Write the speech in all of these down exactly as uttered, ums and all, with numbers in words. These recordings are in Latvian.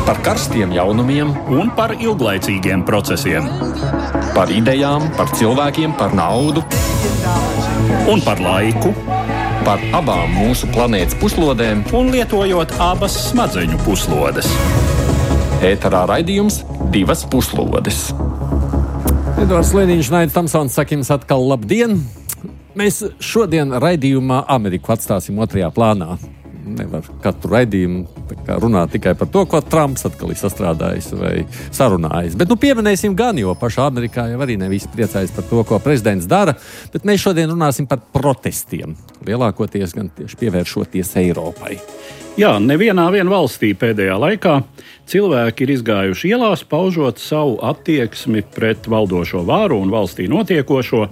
Par karstiem jaunumiem un par ilglaicīgiem procesiem. Par idejām, par cilvēkiem, par naudu Un par laiku. Par abām mūsu planētas puslodēm. Un lietojot abas smadzeņu puslodes. Ēterā raidījums Divas puslodes. Edvards Liniņš, Naidis Tamsons, saka jums atkal labdien! Mēs šodien raidījumā Ameriku atstāsim otrajā plānā. Nevar katru raidījumu runāt tikai par to, ko Trumps atkal ir sastrādājis vai sarunājis. Bet nu pieminēsim gan, jo pašā Amerikā jau arī ne visi priecājas par to, ko prezidents dara. Bet mēs šodien runāsim par protestiem. Lielākoties gan tieši pievēršoties Eiropai. Jā, nevienā vien valstī pēdējā laikā cilvēki ir izgājuši ielās, paužot savu attieksmi pret valdošo vāru un valstī notiekošo.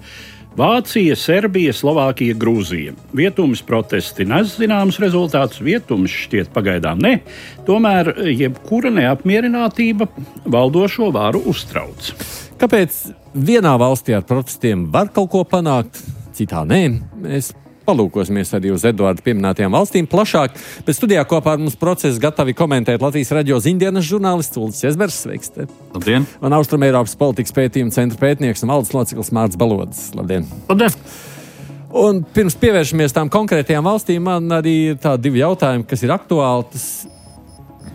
Vācija, Serbija, Slovākija, Grūzija. Vietums protesti nes zināmus rezultātus, vietums šķiet pagaidām ne. Tomēr jebkura neapmierinātība valdošo varu uztrauc. Kāpēc vienā valstī ar protestiem var kaut ko panākt, citā nē? Mēs palūkosimies arī uz Eduarda pieminētajām valstīm plašāk, bet studijā kopā ar mums procesu gatavi komentēt Latvijas radio ziņdienas žurnālists Ulris Jezbers. Sveiks! Te. Labdien! Un Austrumeiropas politikas pētījuma centra pētnieks un valdes loceklis Mārts Balodis. Labdien! Labdien! Un pirms pievēršamies tām konkrētajām valstīm, man arī ir tādi divi jautājumi, kas ir aktuāli. Tas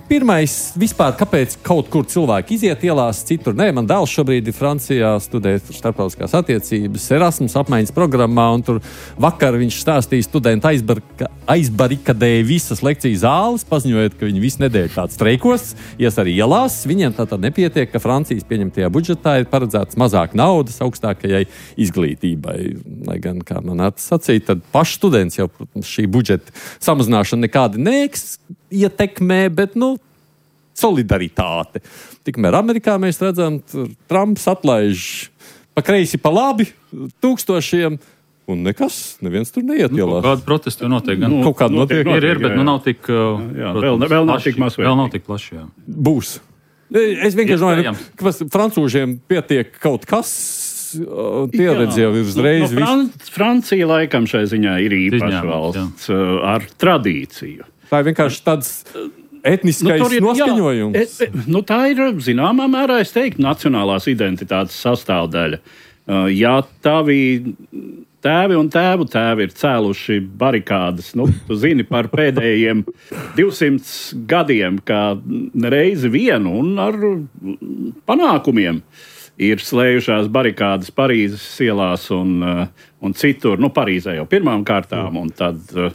pirmais, vispār, kāpēc kaut kur cilvēki iziet ielās, citur nē. Man dēls šobrīd ir Francijā, studē starptautiskās attiecības, Erasmus apmaiņas programmā, un tur vakar viņš stāstīja, studenti aizbarika, aizbarikadēja visas lekciju zāles, paziņojot, ka viņi visu nedēļu tāds streikos, ies arī ielās. Viņiem tātad nepietiek, ka Francijas pieņemtajā budžetā ir paredzēts mazāk naudas augstākajai izglītībai. Lai gan, kā man atsacīja, tad paši students jau, protams, šī budžeta samazināšana nekādi neiks ietekmē, bet, nu, solidaritāte. Tikmēr Amerikā mēs redzam, Trumps atlaiž pa kreisi, pa labi tūkstošiem, un nekas, neviens tur neiet ielās. Nu, kāda protesta notiek? Gan, nu, kaut kāda notiek, notiek, ir, ir, bet jā, jā. Nu nav tik, jā, protams, vēl, vēl nav tik masveidīgi. Vēl nav tik plaši, jā. Būs. Es vienkārši domāju, ka francūžiem pietiek kaut kas, pieredze jau ir uzreiz. Nu, no Fran- Francija laikam šai ziņā ir īpaša valsts jā. Ar tradīciju. Tā ir vienkārši tāds etniskais nu, ir, noskaņojums. Jā, e, nu, tā ir, zināmā mērā, es teiktu, nacionālās identitātes sastāvdaļa. Uh, ja tavi tēvi un tēvu tēvi ir cēluši barikādas, nu, tu zini par pēdējiem divsimt gadiem, kā reizi vienu un ar panākumiem ir slējušās barikādas Parīzes ielās un, uh, un citur, nu, Parīzē jau pirmām kārtām, un tad uh,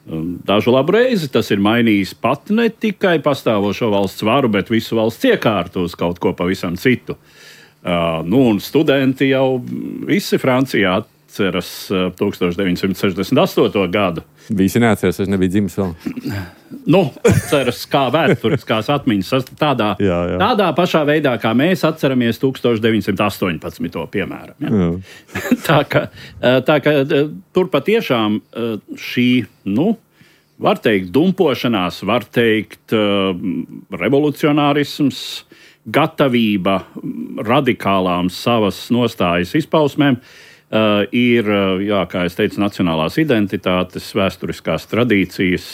dažu labu reizi tas ir mainījis pat ne tikai pastāvošo valsts varu, bet visu valsts iekārtu uz kaut ko pavisam citu. Uh, nu, un studenti jau visi Francijā atceras uh, tukstovš deviņsimt sešdesmit astoto gadu. Visi neatceras, es nebiju dzimis vēl. Nu, atceras kā vēsturiskās atmiņas tādā, jā, jā. tādā pašā veidā, kā mēs atceramies tukstovš deviņsimt astoņpadsmito piemēram. Ja? tā ka, tā ka tur patiešām šī, nu, var teikt, dumpošanās, var teikt, revolucionārisms, gatavība radikālām savas nostājas izpausmēm, Uh, ir, uh, jā, kā es teicu, nacionālās identitātes, vēsturiskās tradīcijas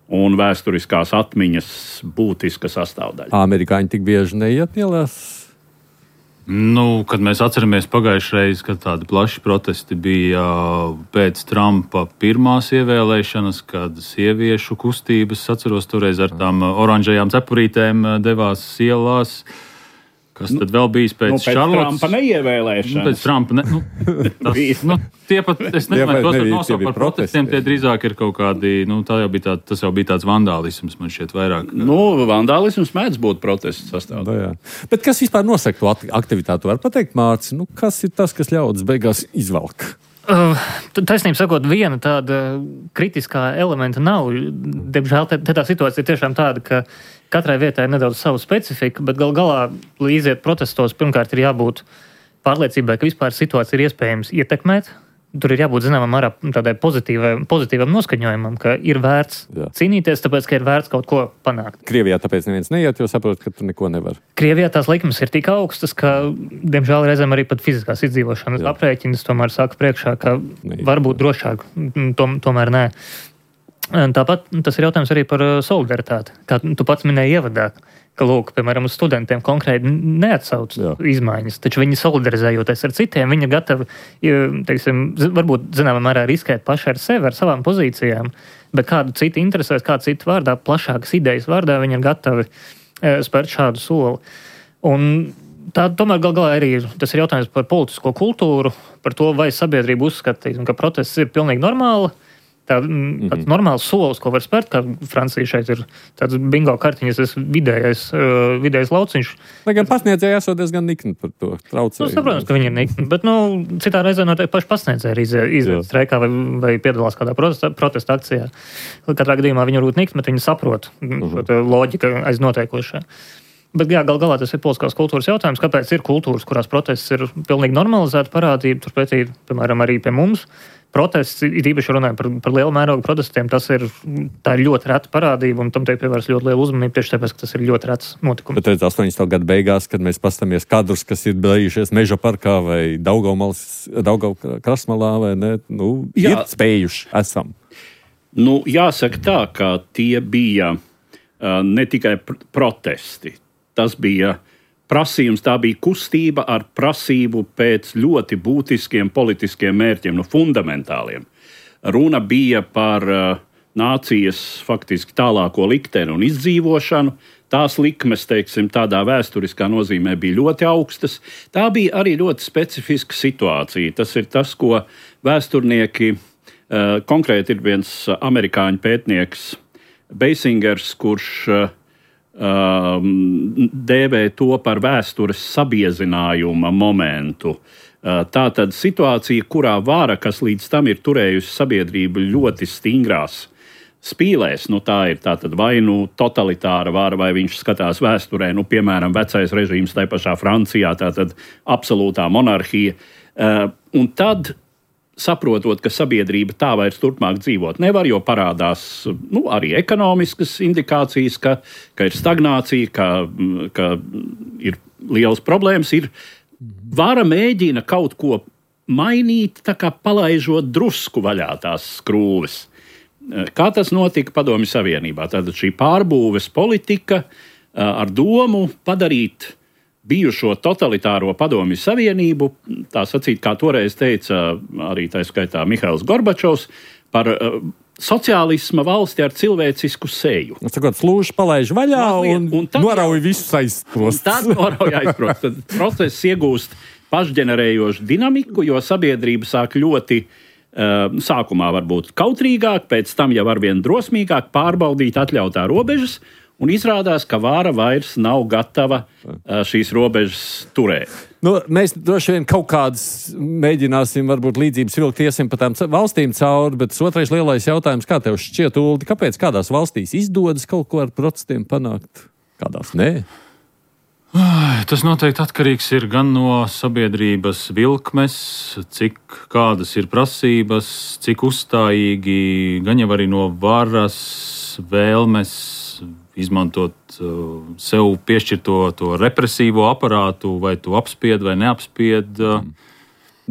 un vēsturiskās atmiņas būtiska sastāvdaļa. Amerikāņi tik bieži neiet ielās? Nu, kad mēs atceramies pagājušreiz, kad tādi plaši protesti bija pēc Trumpa pirmās ievēlēšanas, kad sieviešu kustības, atceros toreiz ar tām oranžajām cepurītēm devās ielās. Kas tad vēl bijis pēc, nu, pēc Šarlotas? Trumpa neievēlēšanas. Nu, pēc Trumpa ne, nu, tas, nu, tie pat, es nezinu, tos nosaukt par protestiem, tie drīzāk ir kaut kādi, nu, tā jau bija tā, tas jau bija tāds vandālisms, man šķiet vairāk. Nu, vandālisms mēdz būt protests sastāvdaļā. Bet kas vispār nosaka to aktivitātu? Var pateikt, Mārcis, nu, kas ir tas, kas ļaudis beigās izvelk? Uh, taisnība sakot, viena tāda kritiskā elementa nav. Diemžēl te, te tā situācija ir tiešām tāda, ka katrai vietai ir nedaudz savu specifiku, bet gal galā, lai iziet protestos, pirmkārt ir jābūt pārliecībai, ka vispār situācija ir iespējams ietekmēt. Tur ir jābūt zināmam arā tādai pozitīvam noskaņojumam, ka ir vērts Jā. cīnīties, tāpēc, ka ir vērts kaut ko panākt. Krievijā tāpēc neviens neiet, jo saprot, ka tu neko nevar. Krievijā tās likmes ir tik augstas, ka, diemžēl, reizēm arī pat fiziskās izdzīvošanas aprēķinas tomēr saka priekšā, ka Neiet. varbūt drošāk, tom, tomēr nē. Tāpat tas ir jautājums arī par solidaritāti. Kā tu pats minēji ievadā, ka, lūk, piemēram, uz studentiem konkrēti neatsauc Jā. izmaiņas, taču viņi solidarizējoties ar citiem, viņi gatavi, teiksim, varbūt, zināmā mērā riskēt paši ar sevi, ar savām pozīcijām, bet kādu citu interesēs, kādu citu vārdā, plašākas idejas vārdā, viņi ir gatavi e, spērt šādu soli. Un tā tomēr gal galā arī tas ir jautājums par politisko kultūru, par to, vai sabiedrība uzskata, teiksim, ka protests ir pilnīgi normāli, Tā, mm-hmm. tāds normāls solis, ko var spērt, kā Francija šeit ir tāds bingo kartiņas, tas vidējais, uh, vidējais lauciņš. Lai gan pasniedzēji esot diezgan nikni par to traucēju. Nu, saprotams, ka viņi ir nikni, bet, nu, citā reizē noteikti paši pasniedzēji arī iziet, iziet streikā vai, vai piedalās kādā protesta, protesta akcijā. Katrā gadījumā viņi varbūt nikni, bet viņi saprot mm-hmm. šo loģika aiz notiekošā. Bet, jā, gal galā tas ir politiskās kultūras jautājums, kāpēc ir kultūras, kurās protests ir pilnīgi normalizēta parādība, turpretī, piemēram, arī pie mums. Protests, ir īpaši runājot par, par lielu mērogu protestiem, tas ir, tā ir ļoti reta parādība, un tam tiek pievērsta ļoti liela uzmanība, tieši tāpēc, ka tas ir ļoti rets notikums. Bet redz, astoņdesmito gadu beigās, kad mēs pastamies kadrus, kas ir bijušies Meža parkā vai Daugavas krastmalā, vai ne, nu, Jā. ir spējuši, esam. Nu, jāsaka tā, ka tie bija uh, ne tikai pr- protesti, tas bija prasījums, tā bija kustība ar prasību pēc ļoti būtiskiem politiskiem mērķiem, nu, fundamentāliem. Runa bija par uh, nācijas faktiski tālāko likteni un izdzīvošanu. Tās likmes, teiksim, tādā vēsturiskā nozīmē bija ļoti augstas. Tā bija arī ļoti specifiska situācija. Tas ir tas, ko vēsturnieki, uh, konkrēti ir viens amerikāņu pētnieks Beisingers, kurš uh, dēvē to par vēstures sabiezinājuma momentu. Tā tad situācija, kurā vara, kas līdz tam ir turējusi sabiedrību ļoti stingrās spīlēs, nu tā ir tātad vai nu totalitāra vara, vai viņš skatās vēsturē, nu piemēram vecais režīms tai pašā Francijā, tātad absolūtā monarhija. Un tad saprotot, ka sabiedrība tā vairs turpmāk dzīvot nevar, jo parādās nu, arī ekonomiskas indikācijas, ka, ka ir stagnācija, ka, ka ir liels problēmas. Ir vara mēģina kaut ko mainīt, tā kā palaižot drusku vaļā tās skrūves. Kā tas notika Padomju Savienībā? Tātad šī pārbūves politika ar domu padarīt bijušo totalitāro Padomju Savienību, tā sacīt, kā toreiz teica arī tā skaitā Mihails Gorbačovs, par uh, sociālisma valsti ar cilvēcisku seju. Sakot, slūžu palaiž vaļā un, un norauj visus aizprost. Tad norauj aizprost. Tad process iegūst pašģenerējošu dinamiku, jo sabiedrība sāk ļoti uh, sākumā varbūt kautrīgāk, pēc tam jau arvien drosmīgāk pārbaudīt atļautā robežas, un izrādās, ka vāra vairs nav gatava šīs robežas turēt. Nu, mēs droši vien kaut kādas mēģināsim, varbūt līdzības vilkt iesim pa tām valstīm cauri, bet otrais lielais jautājums, kā tev šķiet, Uldi, kāpēc kādās valstīs izdodas kaut ko ar protestiem panākt, kādās nē? Tas noteikti atkarīgs ir gan no sabiedrības vilkmes, cik kādas ir prasības, cik uzstājīgi, gan jau arī no varas vēlmes izmantot uh, sev piešķirto to represīvo aparātu, vai tu apspied vai neapspied. Uh,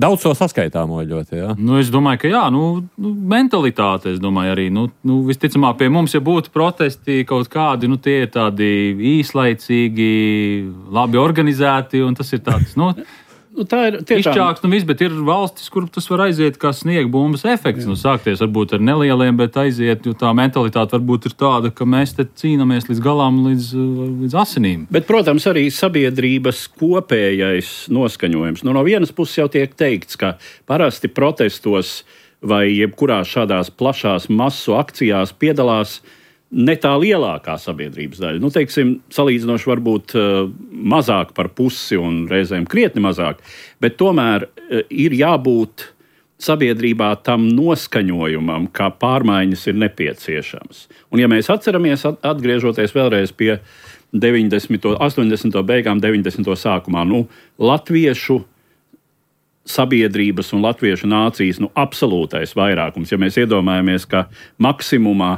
Daudz to saskaitāmo ļoti, jā? Nu, es domāju, ka jā, nu, nu mentalitāte, es domāju arī, nu, nu, visticamāk pie mums, ja būtu protesti kaut kādi, nu, tie ir tādi īslaicīgi, labi organizēti, un tas ir tāds, nu, Nu, tā ir tiešām izčāks, nu viss, bet ir valstis, kur tas var aiziet kā sniegbumbas efekts. Nu, sākties varbūt ar nelieliem, bet aiziet, jo tā mentalitāte varbūt ir tāda, ka mēs te cīnāmies līdz galām, līdz, līdz asinīm. Bet, protams, arī sabiedrības kopējais noskaņojums. Nu, no vienas puses jau tiek teikts, ka parasti protestos vai jebkurā šādās plašās masu akcijās piedalās ne tā lielākā sabiedrības daļa. Nu, teiksim, salīdzinoši varbūt uh, mazāk par pusi un reizēm krietni mazāk, bet tomēr uh, ir jābūt sabiedrībā tam noskaņojumam, kā pārmaiņas ir nepieciešamas. Un ja mēs atceramies, atgriežoties vēlreiz pie deviņdesmito, astoņdesmito beigām, deviņdesmito sākumā, nu, latviešu sabiedrības un latviešu nācijas nu, absolūtais vairākums, ja mēs iedomājamies, ka maksimumā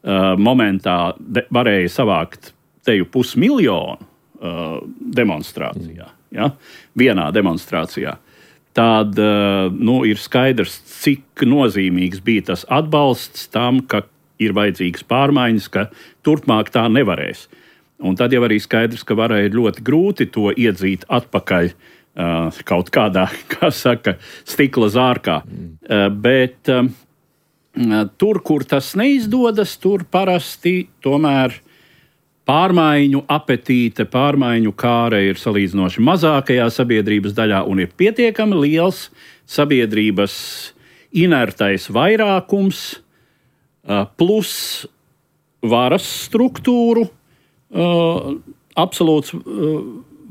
Uh, momentā de, varēja savākt teju pusmiljonu uh, demonstrācijā, ja? Vienā demonstrācijā. Tad uh, nu, ir skaidrs, cik nozīmīgs bija tas atbalsts tam, ka ir vajadzīgas pārmaiņas, ka turpmāk tā nevarēs. Un tad jau arī skaidrs, ka varai ir ļoti grūti to iedzīt atpakaļ uh, kaut kādā, kā saka, stikla zārkā. Mm. Uh, bet uh, tur, kur tas neizdodas, tur parasti tomēr pārmaiņu apetīte, pārmaiņu kāre ir salīdzinoši mazākajā sabiedrības daļā un ir pietiekami liels sabiedrības inertais vairākums plus varas struktūru absolūts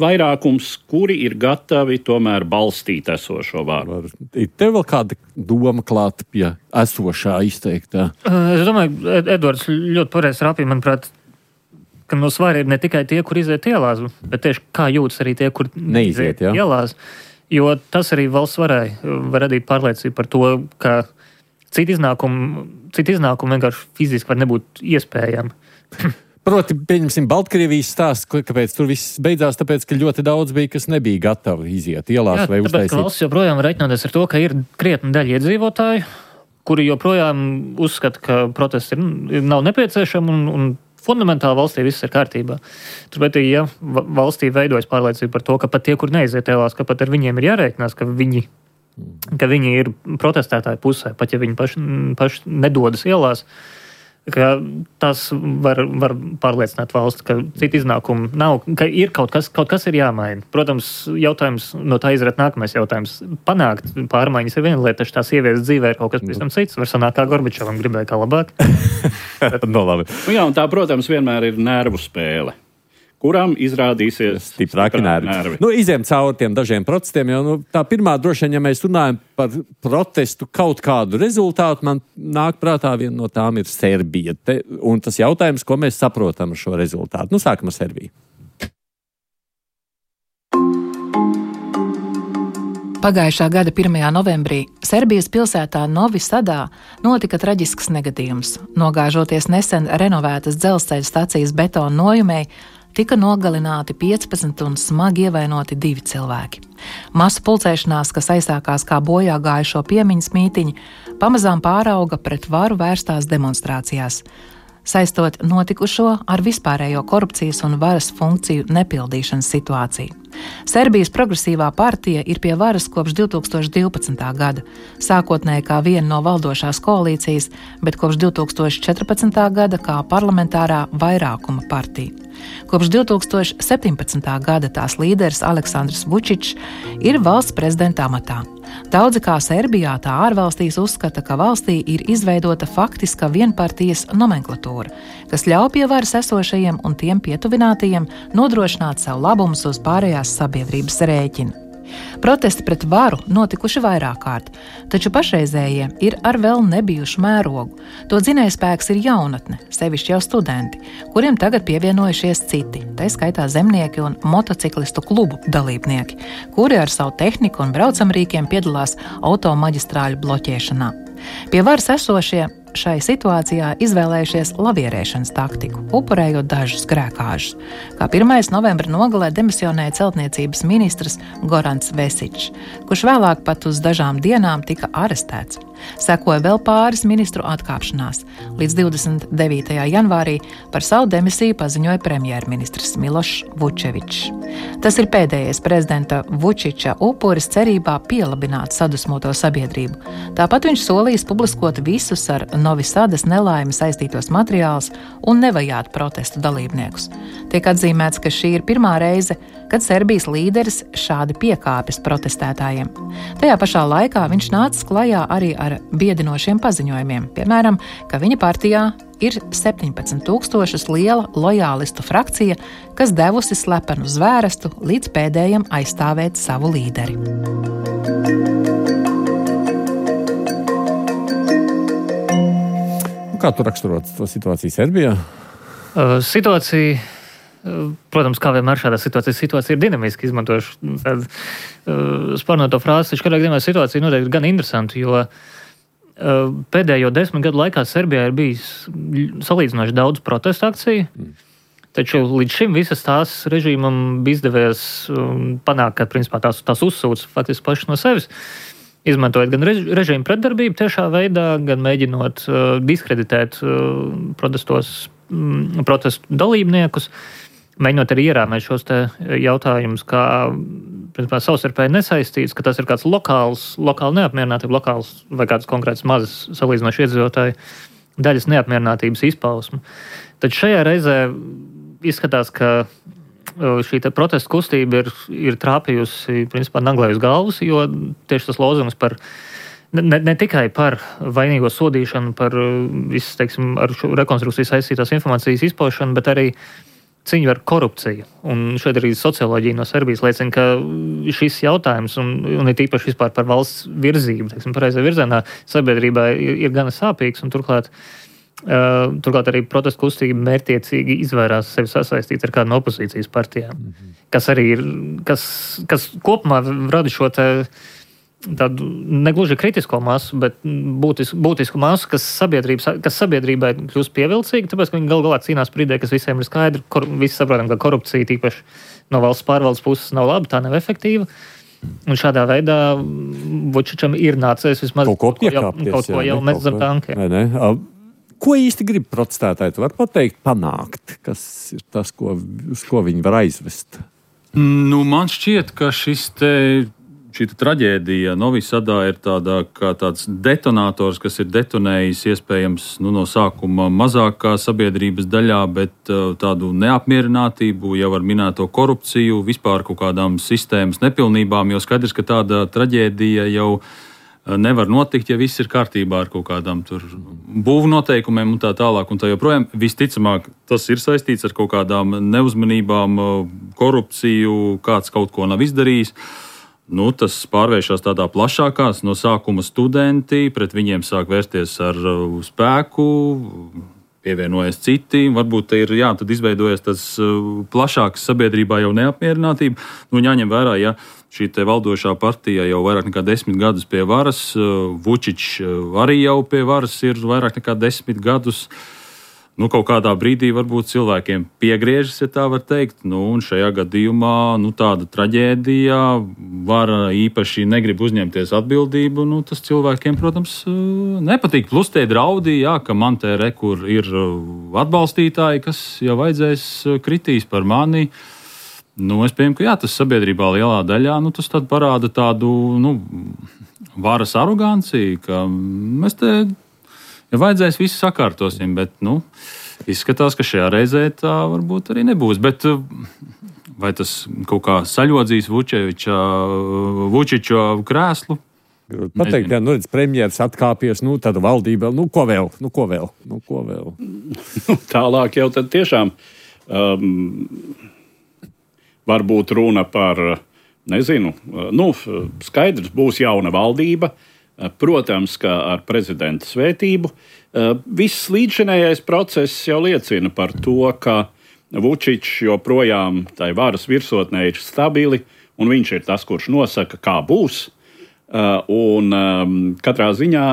vairākums, kuri ir gatavi tomēr balstīt esošo varu. Ir tev vēl kāda doma klāta pie esošā izteiktā? Es domāju, Edvards ļoti pareizi rāpīja, manuprāt, ka no svara ir ne tikai tie, kur iziet ielās, bet tieši kā jūtas arī tie, kur neiziet ja? ielās. Jo tas arī valsts varai var radīt pārliecību par to, ka citu iznākumu, citu iznākumu vienkārši fiziski var nebūt iespējami. Proti, pieņemsim, Baltkrievijas stāsts, kāpēc tur viss beidzās, tāpēc, ka ļoti daudz bija, kas nebija gatavi iziet ielās Jā, vai tāpēc, uztaisīt. Ka valsts joprojām reiķinoties ar to, ka ir krietni daļa iedzīvotāju, kuri joprojām uzskata, ka protesti ir, nav nepieciešami un, un fundamentāli valstī viss ir kārtībā. Turpēc, ja valstī veidojas pārliecība par to, ka pat tie, kur neiziet ielās, ka pat ar viņiem ir jārēķinās, ka viņi, ka viņi ir protestētāju pusē, pat ja viņi paši, paši nedodas ielās, ka tas var, var pārliecināt valsts, ka citu iznākumu nav, ka ir kaut kas, kaut kas ir jāmaina. Protams, jautājums, no tā izriet nākamais jautājums. Panākt pārmaiņas ir viena lieta, taču tās sievietes dzīvē ir kaut kas pavisam cits. Var sanākt kā Gorbačovam, gribēja kā labāk. no, labi. Nu jā, un tā, protams, vienmēr ir nervu spēle, kuram izrādīsies stiprāki nervi. nervi. Nu, iziem cauri tiem dažiem protestiem, jo nu, tā pirmā droši vien, ja mēs runājam par protestu kaut kādu rezultātu, man nāk prātā viena no tām ir Serbija. Te, un tas jautājums, ko mēs saprotam ar šo rezultātu. Nu, sākam ar Serbiju. Pagājušā gada pirmajā novembrī Serbijas pilsētā Novi Sadā notika traģisks negadījums. Nogāžoties nesen renovētas dzelzceļa stacijas betona nojumei, tika nogalināti piecpadsmit un smagi ievainoti divi cilvēki. Masu pulcēšanās, kas aizsākās kā bojā gājušo piemiņas mītiņi, pamazām pārauga pret varu vērstās demonstrācijās, saistot notikušo ar vispārējo korupcijas un varas funkciju nepildīšanas situāciju. Serbijas progresīvā partija ir pie varas kopš divi tūkstoši divpadsmitā gada, sākotnēji kā viena no valdošās koalīcijas, bet kopš divi tūkstoši četrpadsmitā gada kā parlamentārā vairākuma partija. Kopš divi tūkstoši septiņpadsmitā gada tās līderis Aleksandrs Vučičs ir valsts prezidenta amatā. Daudzi kā Serbijā, tā ārvalstīs uzskata, ka valstī ir izveidota faktiska vienpartijas nomenklatūra, kas ļauj pie varas esošajiem un tiem pietuvinātajiem nodrošināt sev labumus uz pārējās sabiedrības rēķina. Protesti pret varu notikuši vairāk kārt, taču pašreizējie ir ar vēl nebijušu mērogu. To dzinējspēks ir jaunatne, sevišķi jau studenti, kuriem tagad pievienojušies citi, tā skaitā zemnieki un motociklistu klubu dalībnieki, kuri ar savu tehniku un braucamrīkiem piedalās automaģistrāļu bloķēšanā. Pie varas esošie šai situācijā izvēlējušies lavierēšanas taktiku, upurējot dažus grēkāžus. Kā pirmais novembra nogalē demisionēja celtniecības ministrs Gorans Vesičs, kurš vēlāk pat uz dažām dienām tika arestēts. Sekoja vēl pāris ministru atkāpšanās. Līdz divdesmit devītajā janvārī par savu demisiju paziņoja premjerministrs Milošs Vučevičs. Tas ir pēdējais prezidenta Vučiča upuris cerībā pielabināt sadusmoto sabiedrību. Tāpat viņš solījis publiskot visus ar Novi Sadas nelaimi saistītos materiālus un nevajāt protestu dalībniekus. Tiek atzīmēts, ka šī ir pirmā reize, kad Serbijas līderis šādi piekāpjas protestētājiem. Tajā pašā laikā viņš nācis klajā arī ar biedinošiem paziņojumiem, piemēram, ka viņa partijā ir septiņpadsmit tūkstošus liela lojālistu frakcija, kas devusi slepenu zvērestu līdz pēdējam aizstāvēt savu līderi. Kā tu raksturot to situāciju Serbijā? Uh, situācija, uh, protams, kā vienmēr šādā situācijā, situācija ir dinamiski, izmantojuši tādu uh, sparnoto frāzi, taču kādā gadījumā situācija noteikti gan interesanta, jo uh, pēdējo desmit gadu laikā Serbijā ir bijis salīdzinoši daudz protestu akciju, mm. taču līdz šim visas tās režīmam bija izdevies um, panākt, ka principā tās, tās uzsūc faktiski paši no sevis. Izmantojot gan režīmu pretdarbību tiešā veidā, gan mēģinot uh, diskreditēt uh, protestos, um, protestu dalībniekus. mēģinot arī ierāmēt šos te jautājumus, kā principā, savstarpēji nesaistīts, ka tas ir kāds lokāls, lokāli neapmierinātība, lokāls vai kāds konkrēts mazs salīdzinoši iedzīvotāju daļas neapmierinātības izpausmu. Tad šajā reizē izskatās, ka šī te protesta kustība ir, ir trāpījusi principā naglai uz galvas, jo tieši tas lozungs par Ne, ne tikai par vainīgo sodīšanu, par visas, teiksim, ar šo rekonstrukciju saistītās informācijas izpaušanu, bet arī cīņu ar korupciju. Un šeit arī socioloģija no Serbijas liecina, ka šis jautājums, un, un ir īpaši vispār par valsts virzību, teiksim, pareizā virzienā, sabiedrībā ir, ir gana sāpīgs, un turklāt, uh, turklāt arī protesta kustība mērķiecīgi izvairās sevi sasaistīt ar kādu no opozīcijas partijām, mm-hmm. kas arī ir, kas, kas kopumā rada šo te tādu negluži kritisko masu, bet būtisku, būtisku masu, kas, kas sabiedrībai kļūst pievilcīga, tāpēc, ka viņi gal galā cīnās par ideju, kas visiem ir skaidri. Kor, visi saprotam, ka korupcija tīpaši no valsts pārvaldes puses nav laba, tā nav efektīva. Un šādā veidā Vučičam ir nācies vismaz kaut ko piekāpties, kaut ko jau met zem tankiem. Ko īsti grib protestētāji? Tu vari pateikt, panākt, kas ir tas, ko, uz ko viņi var aizvest? Nu, man šķiet, ka šis te Šī traģēdija Novi Sadā ir tādā, kā tāds detonators, kas ir detonējis iespējams nu, no sākuma mazākā sabiedrības daļā, bet uh, tādu neapmierinātību, jau ar minēto korupciju, vispār kaut kādām sistēmas nepilnībām, jo skaidrs, ka tāda traģēdija jau nevar notikt, ja viss ir kārtībā ar kaut kādām tur būvu noteikumiem un tā tālāk un tā joprojām. Visticamāk, tas ir saistīts ar kaut kādām neuzmanībām, korupciju, kāds kaut ko nav izdarījis. Nu, tas pārvēršas tādā plašākās, no sākuma studenti, pret viņiem sāk vērsties ar uh, spēku, pievienojas citi. Varbūt ir, jā, tad izveidojas tas uh, plašāks sabiedrībā jau neapmierinātība. Nu, jāņem vērā, ja šī te valdošā partija jau vairāk nekā desmit gadus pie varas, uh, Vučičs arī jau pie varas ir vairāk nekā desmit gadus. Nu, kaut kādā brīdī varbūt cilvēkiem piegriežas, ja tā var teikt. Nu, un šajā gadījumā nu, tāda traģēdija var īpaši negrib uzņemties atbildību. Nu, tas cilvēkiem, protams, nepatīk. Plus tie draudi, jā, ka man te re, kur ir atbalstītāji, kas jau vajadzēs kritīs par mani. Nu, es pieņemu, ka jā, tas sabiedrībā lielā daļā nu, tas tad parāda tādu nu, varas aroganciju, ka mēs te. Ja vajadzēs, visu sakārtosim, bet nu, izskatās, ka šajā reizē tā varbūt arī nebūs. Bet vai tas kaut kā saļodzīs Vučiča krēslu? Pateikt, ja nu redz premjeras atkāpies, nu tad valdība, nu ko vēl, nu ko vēl, nu ko vēl. Nu, tālāk jau tad tiešām um, varbūt runa par, nezinu, nu skaidrs būs jauna valdība. Protams, ka ar prezidenta svētību. Viss līdzšinējais process jau liecina par to, ka Vučičs joprojām tai varas virsotnē ir stabili, un viņš ir tas, kurš nosaka, kā būs. Un katrā ziņā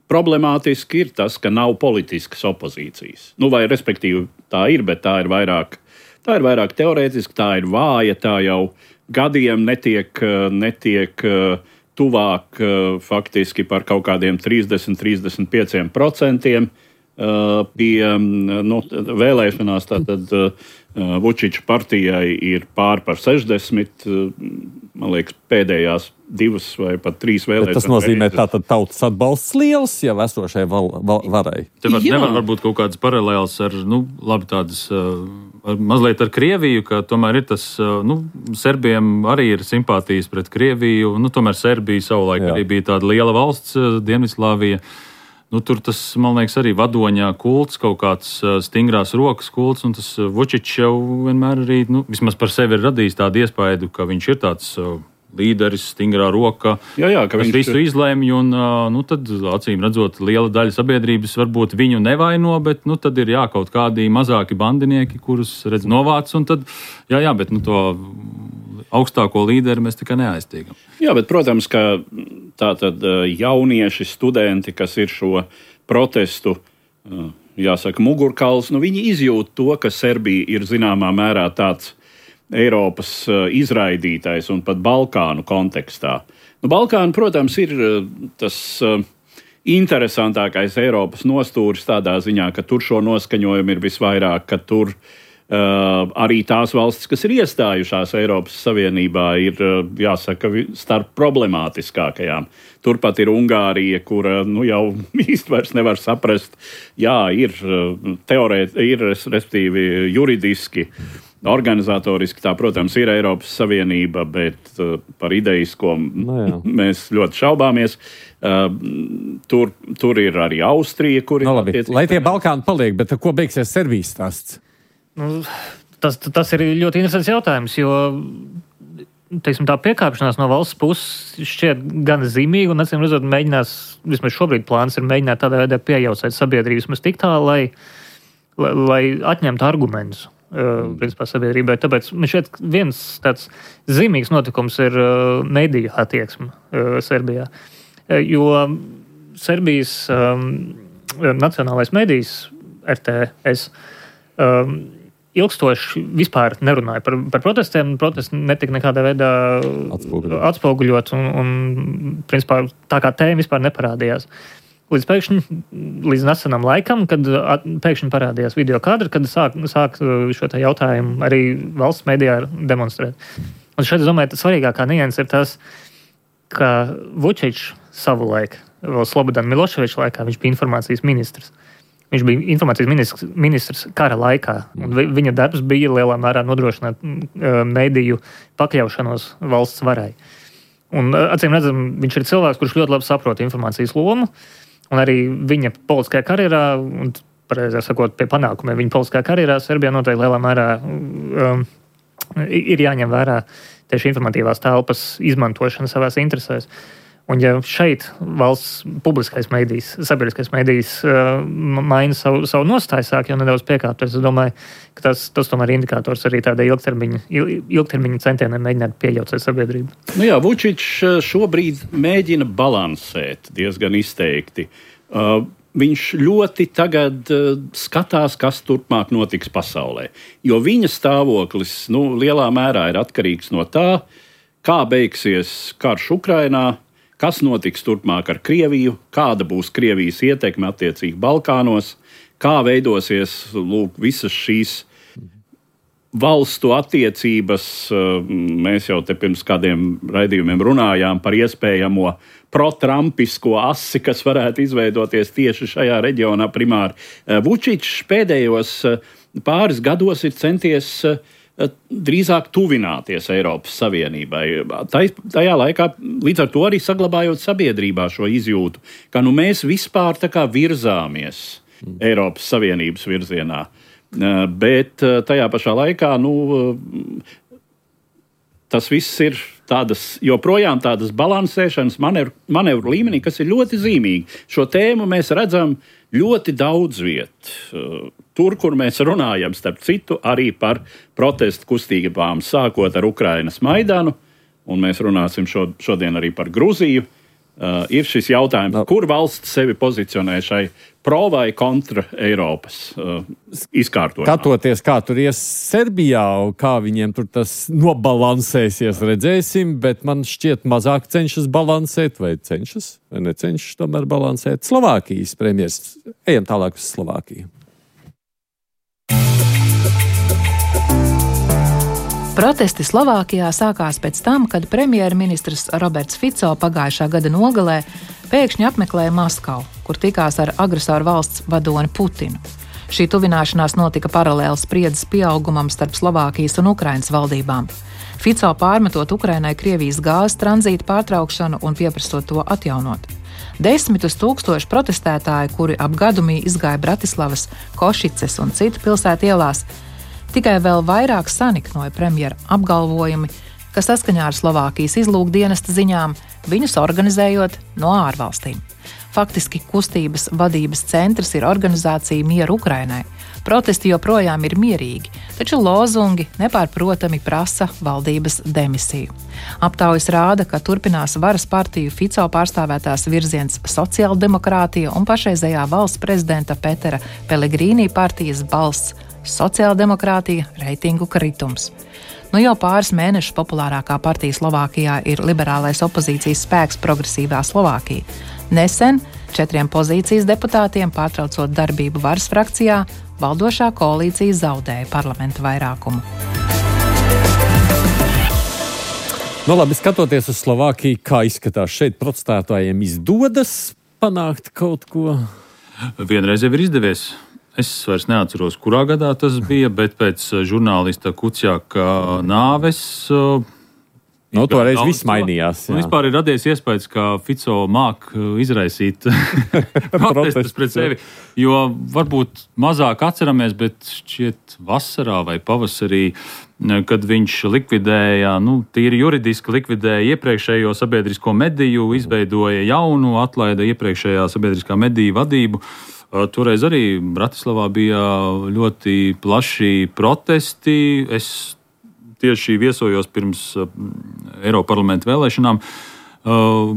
problemātiski ir tas, ka nav politiskas opozīcijas. Nu, vai respektīvi tā ir, bet tā ir vairāk, tā ir vairāk teorētiski, tā ir vāja, tā jau gadiem netiek, netiek tuvāk faktiski par kaut kādiem trīsdesmit līdz trīsdesmit pieciem procentiem pie nu, vēlēšanās. Tātad Vučiča partijai ir pār par sešdesmit, man liekas, pēdējās divas vai pat trīs vēlēšanas. Bet tas nozīmē, ka tātad tautas atbalsts liels jau esošai val, val, varai. Te var, nevar varbūt kaut kādas paralēlas ar, nu, labi tādas, ar, mazliet ar Krieviju, ka tomēr ir tas, nu, Serbiem arī ir simpātijas pret Krieviju, nu, tomēr Serbija savulaik Jā. Arī bija tāda liela valsts, Dienvidslāvija. Nu, tur tas, man liekas, arī vadoņā kults, kaut kāds stingrās rokas kults, un tas Vučičs jau vienmēr arī, nu, vismaz par sevi ir radījis tādu iespaidu, ka viņš ir tāds līderis, stingrā roka, jā, jā, ka viņš visu izlēmj, un nu, tad, acīm redzot, liela daļa sabiedrības varbūt viņu nevaino, bet nu, tad ir jā, kaut kādi mazāki bandinieki, kurus redz novāc, un tad, jā, jā, bet nu, to augstāko līderi mēs tikai neaiztiekam. Jā, bet, protams, ka tātad jaunieši, studenti, kas ir šo protestu, jāsaka, mugurkauls, nu, viņi izjūt to, ka Serbija ir zināmā mērā tāds Eiropas izraidītais un pat Balkānu kontekstā. Nu, Balkāni, protams, ir tas interesantākais Eiropas nostūris tādā ziņā, ka tur šo noskaņojumu ir visvairāk, ka tur Uh, arī tās valstis, kas ir iestājušās Eiropas Savienībā, ir, uh, jāsaka, starp problemātiskākajām. Turpat ir Ungārija, kura nu, jau īsti vairs nevar saprast, jā, ir uh, teorēt, ir, respektīvi, juridiski, organizatoriski, tā, protams, ir Eiropas Savienība, bet uh, par idejisko no, mēs ļoti šaubāmies. Uh, tur, tur ir arī Austrija, kur ir... No, labi, lai tie Balkāni paliek, bet ko beigsies Serbijas stāsts? Nu, tas, tas ir ļoti interesants jautājums, jo teiksim, tā piekāpšanās no valsts puses šķiet gan zīmīga, un acīm redzot, mēģinās, vismaz šobrīd plāns ir mēģināt tādā veidā piejaucēt sabiedrību vismaz tik tā, lai, lai, lai atņemtu argumentus uh, principā sabiedrībai. Tāpēc man šķiet viens tāds zīmīgs notikums ir uh, mediju attieksme uh, Serbijā, uh, jo Serbijas um, nacionālais medijs R T S um, ilgstoši vispār nerunāja par, par protestiem. Protesti netika nekādā veidā atspoguļot, atspoguļot un, un principā, tā kā tēma vispār neparādījās. Līdz pēkšņi, līdz nesenam laikam, kad at, pēkšņi parādījās video kadri, kad sāk, sāk šo te jautājumu arī valsts medijā demonstrēt. Un šeit, es domāju, tas svarīgākā nianses ir tas, ka Vučičs savulaik, vēl Slobodana Miloševiča laikā, viņš bija informācijas ministrs. Viņš bija informācijas ministrs, ministrs kara laikā, un vi, viņa darbs bija lielā mērā nodrošināt uh, mediju pakļaušanos valsts varai. Un, uh, acīm redzam, viņš ir cilvēks, kurš ļoti labi saprot informācijas lomu, un arī viņa politiskajā karjerā, un pareizāk sakot, pie panākumiem viņa politiskajā karjerā Serbijā noteikti lielā mērā um, ir jāņem vērā tieši informatīvās telpas izmantošana savās interesēs. Un ja šeit valsts publiskais medijs, sabiedriskais medijs uh, maina savu, savu nostāju, sāk jau nedaudz piekāpties, es domāju, ka tas, tas tomēr ir indikators arī tādai ilgtermiņa, ilgtermiņa centieniem mēģināt pieļaucēt sabiedrību. Nu jā, Vučičs šobrīd mēģina balansēt diezgan izteikti. Uh, viņš ļoti tagad uh, skatās, kas turpmāk notiks pasaulē. Jo viņa stāvoklis nu, lielā mērā ir atkarīgs no tā, kā beigsies karš Ukrainā, kas notiks turpmāk ar Krieviju, kāda būs Krievijas ietekme attiecīgi Balkānos, kā veidosies lūk, visas šīs valstu attiecības. Mēs jau te pirms kādiem raidījumiem runājām par iespējamo pro-trumpisko asi, kas varētu izveidoties tieši šajā reģionā primāri. Vučičs pēdējos pāris gados ir centies drīzāk tuvināties Eiropas Savienībai. Tajā laikā līdz ar to arī saglabājot sabiedrībā šo izjūtu, ka nu mēs vispār tā kā virzāmies Eiropas Savienības virzienā. Bet tajā pašā laikā nu, tas viss ir tādas, joprojām tādas balansēšanas manevru, manevru līmenī, kas ir ļoti zīmīgi. Šo tēmu mēs redzam ļoti daudz viet. Tur, kur mēs runājam, starp citu, arī par protestu kustībām, sākot ar Ukrainas Maidanu, un mēs runāsim šo, šodien arī par Gruziju, uh, ir šis jautājums, kur valsts sevi pozicionē šai pro vai kontra Eiropas uh, izkārtojumā. Skatoties, kā tur ies Serbijā, kā viņiem tur tas nobalansēsies, redzēsim, bet man šķiet mazāk cenšas balansēt, vai cenšas, vai necenšas tomēr balansēt Slovākijas premjers. Ejam tālāk uz Slovākiju. Protesti Slovākijā sākās pēc tam, kad premjerministrs Roberts Fico pagājušā gada nogalē pēkšņi apmeklēja Maskavu, kur tikās ar agresoru valsts vadoni Putinu. Šī tuvināšanās notika paralēli spriedzes pieaugumam starp Slovākijas un Ukrainas valdībām. Fico pārmetot Ukrainai Krievijas gāzes tranzīta pārtraukšanu un pieprasot to atjaunot. Desmitus tūkstoši protestētāji, kuri ap gadumī izgāja Bratislavas, Košicas un citu pilsētu ielās, tikai vēl vairāk saniknoja premjera apgalvojumi, ka saskaņā ar Slovākijas izlūkdienesta ziņām viņus organizējot no ārvalstīm. Faktiski kustības vadības centrs ir organizācija Mieru Ukrainai. Protesti joprojām ir mierīgi, taču lozungi nepārprotami prasa valdības demisiju. Aptaujas rāda, ka turpinās varas partiju Fico pārstāvētās virziens sociāldemokrātija un pašreizējā valsts prezidenta Petera Pellegrīnī partijas balss sociāldemokrātija reitingu kritums. Nu jau pāris mēnešus populārākā partija Slovākijā ir liberālais opozīcijas spēks Progresīvā Slovākija. Nesen četriem pozīcijas deputātiem pārtraucot darbību varas frakcijā, valdošā koalīcija zaudēja parlamenta vairākumu. Nu, labi, skatoties uz Slovākiju, kā izskatās šeit protestētājiem izdodas panākt kaut ko? Vienreiz jau ir izdevies. Es vairs neatceros, kurā gadā tas bija, bet pēc žurnālista Kuciaka nāves... Nu, toreiz viss mainījās. Un vispār ir radies iespējas, ka Fico māk izraisīt protestus pret sevi, jo varbūt mazāk atceramies, bet šķiet vasarā vai pavasarī, kad viņš likvidēja, nu, tīri juridiski likvidēja iepriekšējo sabiedrisko mediju, izveidoja jaunu, atlaida iepriekšējā sabiedriskā mediju vadību. Toreiz arī Bratislavā bija ļoti plaši protesti. Es tieši viesojos pirms Eiroparlamenta vēlēšanām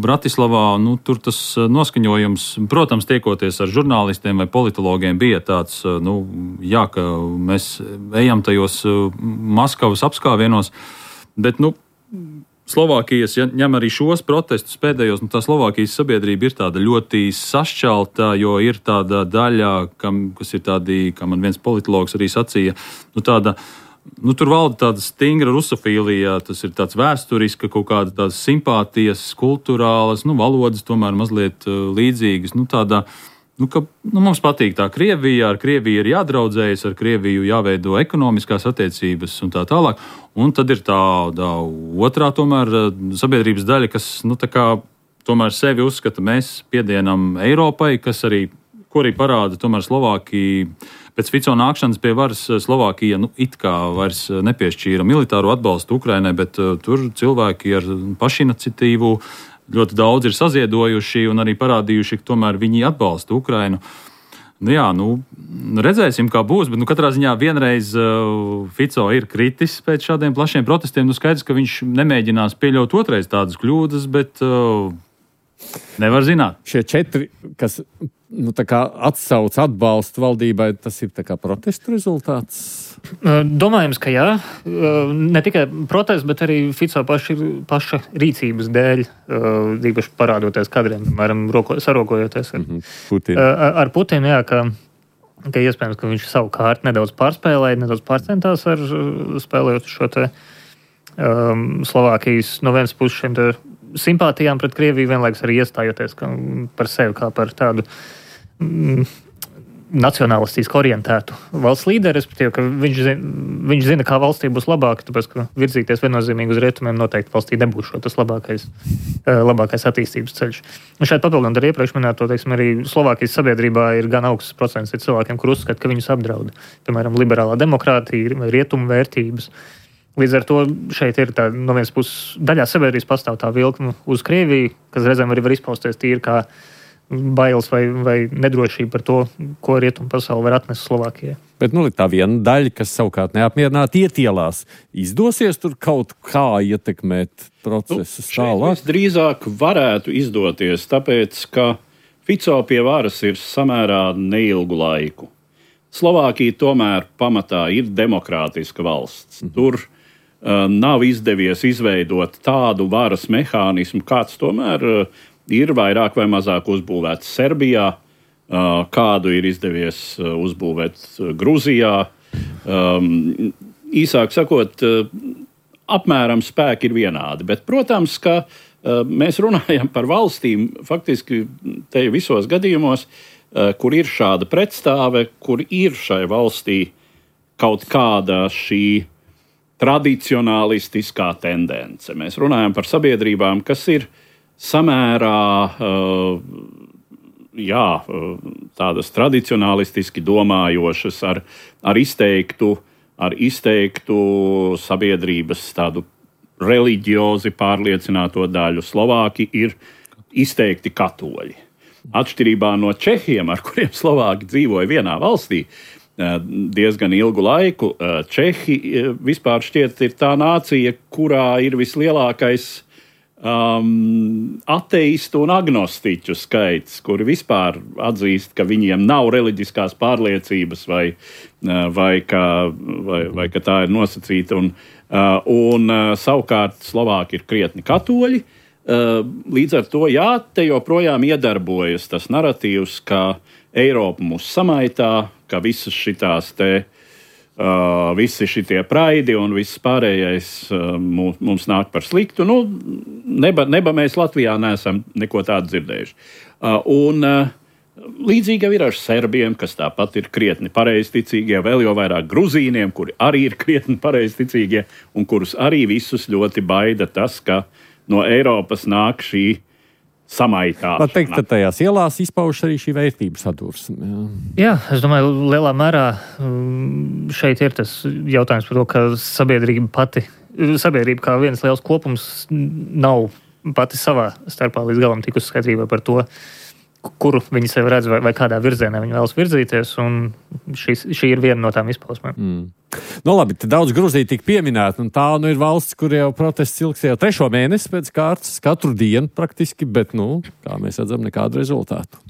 Bratislavā. Nu, tur tas noskaņojums, protams, tiekoties ar žurnālistiem vai politologiem, bija tāds, nu, jā, ka mēs ejam tajos Maskavas apskāvienos, bet, nu, Slovākijas, ja ņem arī šos protestus pēdējos, nu, tā Slovākijas sabiedrība ir tāda ļoti sašķelta, jo ir tāda daļa, kam, kas ir tādi, kā man viens politologs arī sacīja, nu, tāda, nu, tur valda tāda stingra rusofīlija, tas ir tāds vēsturiska, kaut kāda tādas simpātijas, kulturālas, nu, valodas tomēr mazliet uh, līdzīgas, nu, tāda, nu, ka, nu, mums patīk tā Krievija, ar Krieviju ir jādraudzējas, ar Krieviju jāveido ekonomiskās attiecības un tā tālāk, un tad ir tāda otrā tomēr sabiedrības daļa, kas, nu, tā kā tomēr sevi uzskata, mēs piedienam Eiropai, kas arī, ko arī parāda tomēr Slovākija. Pēc Fico nākšanas pie varas Slovākija, nu, it kā vairs nepiešķīra militāro atbalstu Ukrainai, bet uh, tur cilvēki ar pašiniciatīvu ļoti daudz ir saziedojuši un arī parādījuši, ka tomēr viņi atbalsta Ukrainu. Nu, jā, nu, redzēsim, kā būs, bet nu, katrā ziņā vienreiz uh, Fico ir kritis pēc šādiem plašiem protestiem. Nu, skaidrs, ka viņš nemēģinās pieļaut otrais tādas kļūdas, bet uh, nevar zināt. Šie četri, kas... Nu, tā kā atsauc atbalstu valdībai, tas ir tā kā protestu rezultāts? Domājams, ka jā. Ne tikai protests, bet arī Fico paši, paša rīcības dēļ, īpaši parādoties kadriem, piemēram, sarokojoties ar, mm-hmm. Putin. ar Putinu, jā, ka, ka iespējams, ka viņš savukārt nedaudz pārspēlēja, nedaudz pārcentās ar spēlējot šo te um, Slovākijas no vienas puses šiem te simpātijām pret Krieviju, vienlaikus arī iestājoties par sevi kā par tādu mm, nacionalistiski orientētu valsts līderi, respektīvi, ka viņš zina, viņš zina, kā valstī būs labāk, tāpēc, ka virzīties viennozīmīgi uz rietumiem noteikti valstī nebūs šo tas labākais, labākais attīstības ceļš. Un šeit papildinot ar iepriekš minēto, teiksim, arī Slovākijas sabiedrībā ir gan augsts procents ir cilvēkiem, kur uzskata, ka viņus apdraud, piemēram, liberālā demokrātija vai rietumu vērtības. Līdz ar to šeit ir tā, no vienas puses daļā sabiedrības pastāv tā vilkme uz Krieviju, kas reizēm arī var izpausties tīri kā bailes vai, vai nedrošība par to, ko rietumu pasauli var atnest Slovākijai. Bet nu, tā viena daļa, kas savukārt neapmierināti iet ielās, izdosies tur kaut kā ietekmēt procesus nu, tālāk? Drīzāk varētu izdoties, tāpēc, ka Fico pie varas ir samērā neilgu laiku. Slovākija tomēr pamatā ir demokrātiska valsts. Mm. Tur uh, nav izdevies izveidot tādu varas mehānismu, kāds tomēr uh, ir vairāk vai mazāk uzbūvēts Serbijā, uh, kādu ir izdevies uh, uzbūvēt uh, Gruzijā. Um, īsāk sakot, uh, apmēram spēki ir vienādi, bet, protams, ka uh, mēs runājam par valstīm faktiski te visos gadījumos, kur ir šāda pretstāve, kur ir šai valstī kaut kāda šī tradicionālistiskā tendence. Mēs runājam par sabiedrībām, kas ir samērā, jā, tādas tradicionālistiski domājošas, ar, ar, izteiktu, ar izteiktu sabiedrības tādu reliģiozi pārliecināto daļu. Slovāki ir izteikti katoļi. Atšķirībā no Čehiem, ar kuriem Slovāki dzīvoja vienā valstī diezgan ilgu laiku, Čehi vispār šķiet ir tā nācija, kurā ir vislielākais um, ateistu un agnostiķu skaits, kuri vispār atzīst, ka viņiem nav reliģiskās pārliecības vai, vai, ka, vai, vai ka tā ir nosacīta. Un, un savukārt Slovāki ir krietni katoļi. Līdz ar to, jā, te joprojām iedarbojas tas naratīvs, ka Eiropa mūs samaitā, ka visas šitās te, uh, visi šitie praidi un viss pārējais uh, mums, mums nāk par sliktu. Nu, neba, neba mēs Latvijā neesam neko tādu dzirdējuši. Uh, un uh, līdzīgi jau ir ar serbiem, kas tāpat ir krietni pareizticīgie, vēl jau vairāk gruzīniem, kuri arī ir krietni pareizticīgie un kurus arī visus ļoti baida tas, ka no Eiropas nāk šī samaitāšana. Var teikt, ka tajās ielās izpaužas arī šī vērtības sadursme. Jā. jā, es domāju, lielā mērā šeit ir tas jautājums par to, ka sabiedrība pati, sabiedrība kā viens liels kopums nav pati savā starpā līdz galam tikus skaidrībā par to, kuru viņi sev redz vai, vai kādā virzienā viņi vēlas virzīties, un šis, šī ir viena no tām izpausmēm. Mm. Nu labi, daudz Gruzija tika pieminēta, un tā nu ir valsts, kur jau protests ilgs jau trešo mēnesi pēc kārtas, katru dienu praktiski, bet, nu, kā mēs redzam, nekādu rezultātu.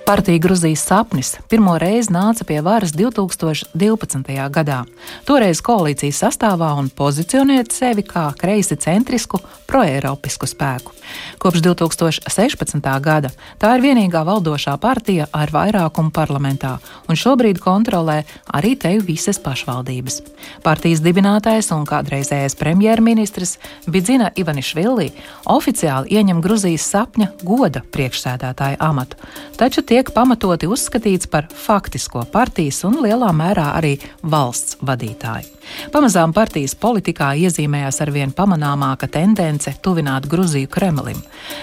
Partija Gruzijas sapnis pirmo reizi nāca pie varas divtūkstoš divpadsmitajā gadā. Toreiz koalīcijas sastāvā un pozicionēt sevi kā kreisi centrisku, proeiropisku spēku. Kopš divtūkstoš sešpadsmitā gada tā ir vienīgā valdošā partija ar vairākumu parlamentā, un šobrīd kontrolē arī te visas pašvaldības. Partijas dibinātājs un kādreizējais premjerministrs Bidzina Ivanišvili oficiāli ieņem Gruzijas sapņa goda priekšsēdētāja amatu, taču tiek pamatoti uzskatīts par faktisko partijas un lielā mērā arī valsts vadītāju. Pamazām partijas politikā iezīmējās arvien pamanāmāka tendence tuvināt Gruziju Kremlim,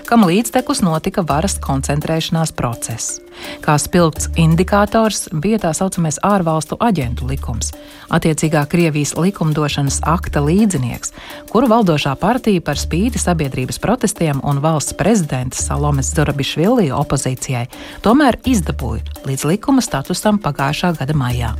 kam līdztekus notika varas koncentrēšanās process. Kā spilgts indikators bija tā saucamais ārvalstu aģentu likums, attiecīgā Krievijas likumdošanas akta līdzinieks, kuru valdošā partija par spīti sabiedrības protestiem un valsts prezidenta Salomes Zurabišvili opozīcijai tomēr izdabūja līdz likuma statusam pagājušā gada maijā.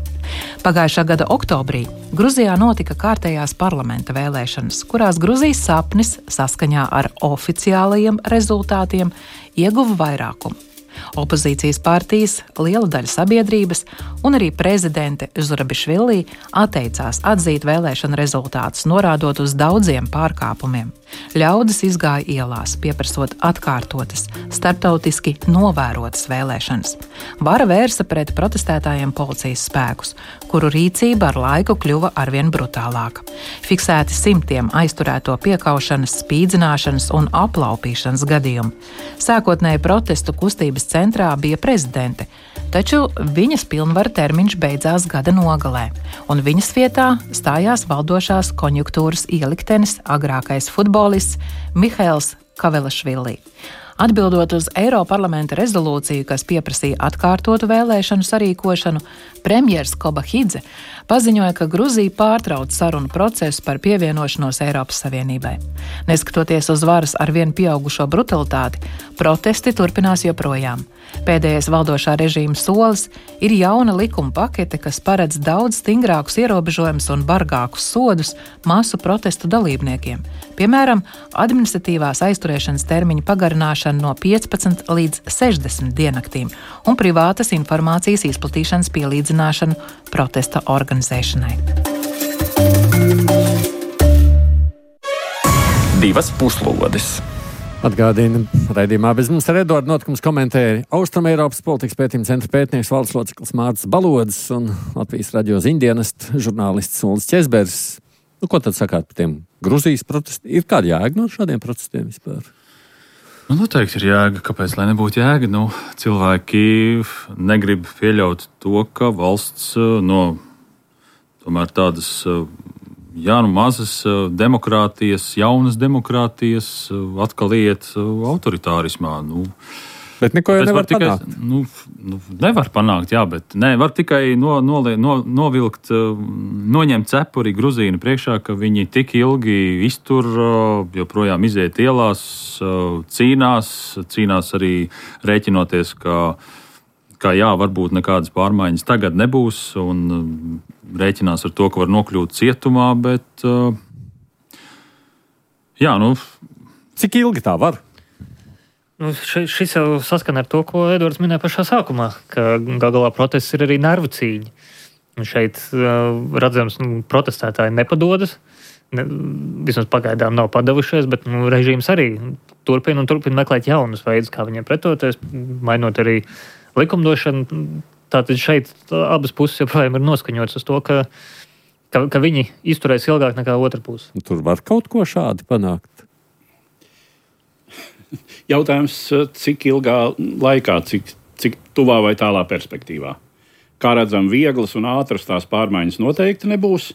Pagājušā gada oktobrī Gruzijā notika kārtējās parlamenta vēlēšanas, kurās Gruzijas sapnis saskaņā ar oficiālajiem rezultātiem ieguva vairākumu. Opozīcijas partijas, liela daļa sabiedrības un arī prezidente Zurabišvili atteicās atzīt vēlēšanu rezultātus, norādot uz daudziem pārkāpumiem. Ļaudis izgāja ielās, pieprasot atkārtotas, starptautiski novērotas vēlēšanas. Vara vērsa pret protestētājiem policijas spēkus, kuru rīcība ar laiku kļuva arvien brutālāka. Fiksēti simtiem aizturēto piekaušanas, spīdzināšanas un aplaupīšanas gadījumu. Sākotnēji protestu kustības centrā bija prezidente, taču viņas pilnvaru termiņš beidzās gada nogalē, un viņas vietā stājās valdošās konjunktūras ieliktenis agrākais futbolists Mihails Kavelašvili. Atbildot uz Eiroparlamenta rezolūciju, kas pieprasīja atkārtotu vēlēšanu sarīkošanu, premjers Kobahidze paziņoja, ka Gruzija pārtrauc sarunu procesu par pievienošanos Eiropas Savienībai. Neskatoties uz varas ar vien pieaugušo brutalitāti, protesti turpinās joprojām. Pēdējais valdošā režīma solis ir jauna likuma pakete, kas paredz daudz stingrākus ierobežojumus un bargākus sodus masu protestu dalībniekiem. Piemēram, administratīvās aizturēšanas termiņa pagarināšana no piecpadsmit līdz sešdesmit diennaktīm un privātas informācijas izplatīšanas pielīdzināšanu protesta organizēšanai. Divas puslodes. Atgādina, raidījumā bez mums ar Eduardu notikums komentēja Austrumeiropas politikas pētījuma centra pētnieks valdes loceklis Mārcis Balodis un Latvijas radio ziņdienestu žurnālists Ulris Ķezbergs. Nu, ko tad sakāt par tiem Gruzijas protestiem? Ir kāda jēga no šādiem protestiem vispār? Nu, noteikti ir jēga. Kāpēc, lai nebūtu jēga? Nu, cilvēki negrib pieļaut to, ka valsts no tomēr tādas... Jā, nu mazas demokrātijas, jaunas demokrātijas atkal iet autoritārismā. Nu, bet neko jau nevar tikai, panākt. Nu, nu, nevar panākt, jā, bet ne, var tikai no, no, no, novilkt, noņemt cepuri Gruzīnu priekšā, ka viņi tik ilgi iztur, joprojām iziet ielās, cīnās, cīnās arī rēķinoties, ka, ka jā, varbūt nekādas pārmaiņas tagad nebūs un rēķinās ar to, ka var nokļūt cietumā, bet uh, jā, nu... Cik ilgi tā var? Nu, šis jau saskana ar to, ko Edvards minēja pašā sākumā, ka gal galā protests ir arī nervu cīņa. Un šeit uh, redzams, nu, protestētāji nepadodas, ne, vismaz pagaidām nav padavušies, bet nu, režīms arī turpina un turpina meklēt jaunus veidus, kā viņiem pretoties, mainot arī likumdošanu. Tātad šeit abas puses joprojām ir noskaņotas uz to, ka, ka, ka viņi izturēs ilgāk nekā otra puse. Tur var kaut ko šādi panākt. Jautājums, cik ilgā laikā, cik, cik tuvā vai tālā perspektīvā. Kā redzam, vieglas un ātras tās pārmaiņas noteikti nebūs.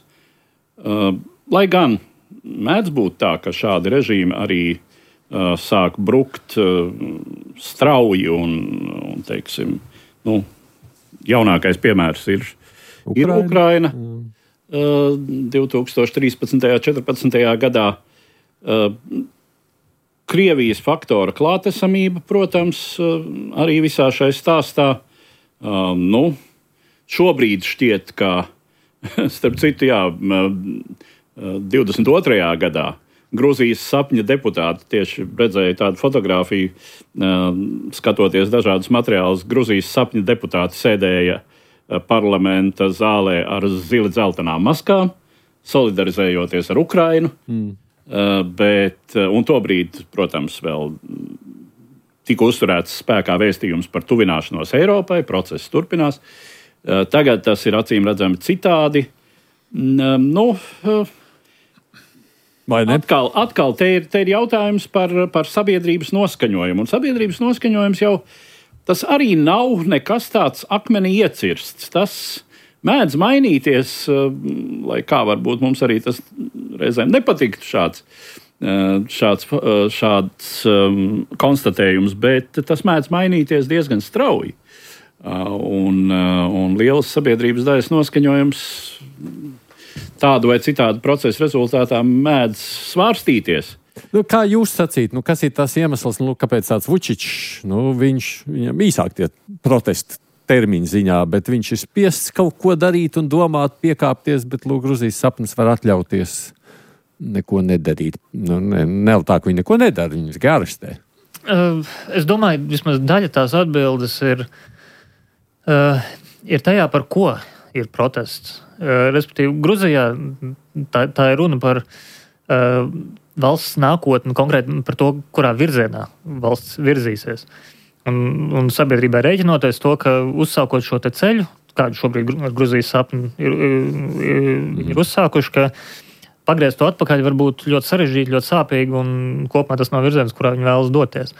Uh, lai gan mēdz būt tā, ka šādi režīmi arī uh, sāk brukt uh, strauji un, un teiksim, nu, jaunākais piemērs ir Ukraina. Ir Ukraina. Uh, divtūkstoš trīspadsmitajā un četrpadsmitajā gadā uh, Krievijas faktora klātesamība, protams, uh, arī visā šai stāstā. Uh, nu, šobrīd šķiet, ka, starp citu, jā, divdesmit otrajā gadā Gruzijas sapņa deputāti tieši redzēja tādu fotogrāfiju, skatoties dažādus materiālus. Gruzijas sapņa deputāti sēdēja parlamenta zālē ar zili dzeltenām maskām, solidarizējoties ar Ukrainu. Mm. Bet, un tobrīd, protams, vēl tika uzturēts spēkā vēstījums par tuvināšanos Eiropai, process turpinās. Tagad tas ir acīm redzami citādi. Nu, atkal, atkal te ir, te ir jautājums par, par sabiedrības noskaņojumu. Un sabiedrības noskaņojums jau tas arī nav nekas tāds akmenī iecirsts. Tas mēdz mainīties, lai kā varbūt mums arī tas reizēm nepatiktu šāds, šāds, šāds konstatējums, bet tas mēdz mainīties diezgan strauji. Un, un lielas sabiedrības daļas noskaņojums tādu vai citādu procesu rezultātā mēdz svārstīties. Nu, kā jūs sacīt, nu, kas ir tas iemesls, nu, kāpēc tāds Vučičs, nu, viņš, viņam īsāk tie protesti termiņu ziņā, bet viņš ir spiests kaut ko darīt un domāt, piekāpties, bet, lūk, Gruzijas sapnis var atļauties neko nedarīt. Nu, ne, ne tā, ka viņi neko nedara, viņus garastē. Uh, es domāju, vismaz daļa tās atbildes ir Uh, ir tajā, par ko ir protests. Uh, respektīvi, Gruzijā tā, tā ir runa par uh, valsts nākotni, konkrēti par to, kurā virzienā valsts virzīsies. Un, un sabiedrībai rēķinoties to, ka uzsākot šo te ceļu, kādu šobrīd ar Gruzijas sapni ir, ir, ir uzsākuši, ka pagriezt to atpakaļ var būt ļoti sarežģīti, ļoti sāpīgi un kopumā tas nav virziens, kurā viņi vēlas doties.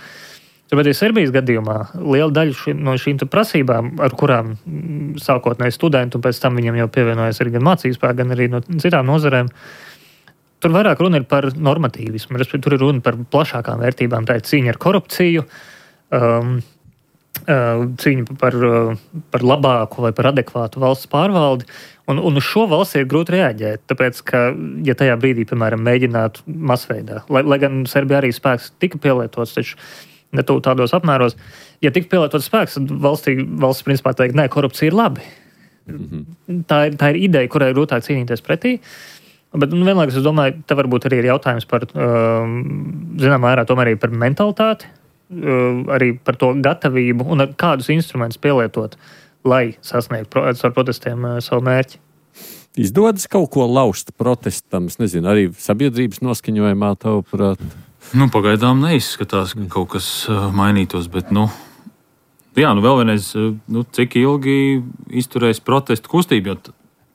Bet arī Serbijas gadījumā liela daļa ši, no šīm prasībām, ar kurām sākotnēji studenti un pēc tam viņiem jau pievienojas arī gan mācību spēku, gan arī no citām nozarēm, tur vairāk runa ir par normatīvismu, tur ir runa par plašākām vērtībām, tā ir cīņa ar korupciju, um, uh, cīņa par, uh, par labāku vai par adekvātu valsts pārvaldi, un, un uz šo valsts ir grūti reaģēt, tāpēc, ka, ja tajā brīdī, piemēram, mēģinātu masveidā, lai, lai gan Serbijā arī spēks tika pielietots, taču ne tu tādos apmēros. Ja tik pielietots spēks, tad valstī, valsts principā teikt, nē, korupcija ir labi. Mm-hmm. Tā ir, tā ir ideja, kurai ir grūtāk cīnīties pretī. Bet nu, vienlaikus es domāju, te varbūt arī ir jautājums par, um, zināmā mērā, tomēr arī par mentalitāti, um, arī par to gatavību un kādus instrumentus pielietot, lai sasniegtu pro, ar protestiem uh, savu mērķi. Izdodas kaut ko laust protestam, es nezinu, arī sabiedrības noskaņojumā tavuprāt? Nu, pagaidām neizskatās, ka kaut kas uh, mainītos, bet, nu, jā, nu vēl vienreiz, uh, nu, cik ilgi izturēs protestu kustību, jo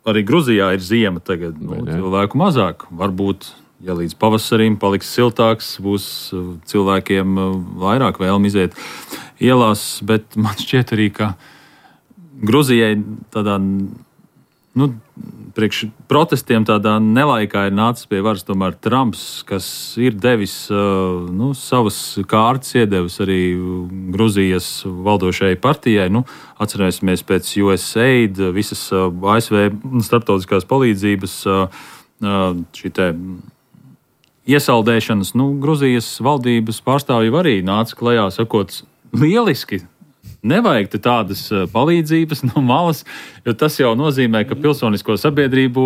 arī Gruzijā ir ziema tagad, nu, cilvēku mazāk. Varbūt, ja līdz pavasarim paliks siltāks, būs uh, cilvēkiem uh, vairāk vēlmi iziet ielās, bet man šķiet arī, ka Gruzijai tādā, nu, priekš protestiem tādā nelaikā ir nācis pie varas tomēr Trumps, kas ir devis uh, nu, savas kārtas, iedevis arī Gruzijas valdošajai partijai. Nu, atcerēsimies pēc U S A I D, visas uh, A S V starptautiskās palīdzības uh, šī te iesaldēšanas. Nu, Gruzijas valdības pārstāvji arī nāca klajā sakot lieliski. Nevajag tādas palīdzības no malas, jo tas jau nozīmē, ka pilsonisko sabiedrību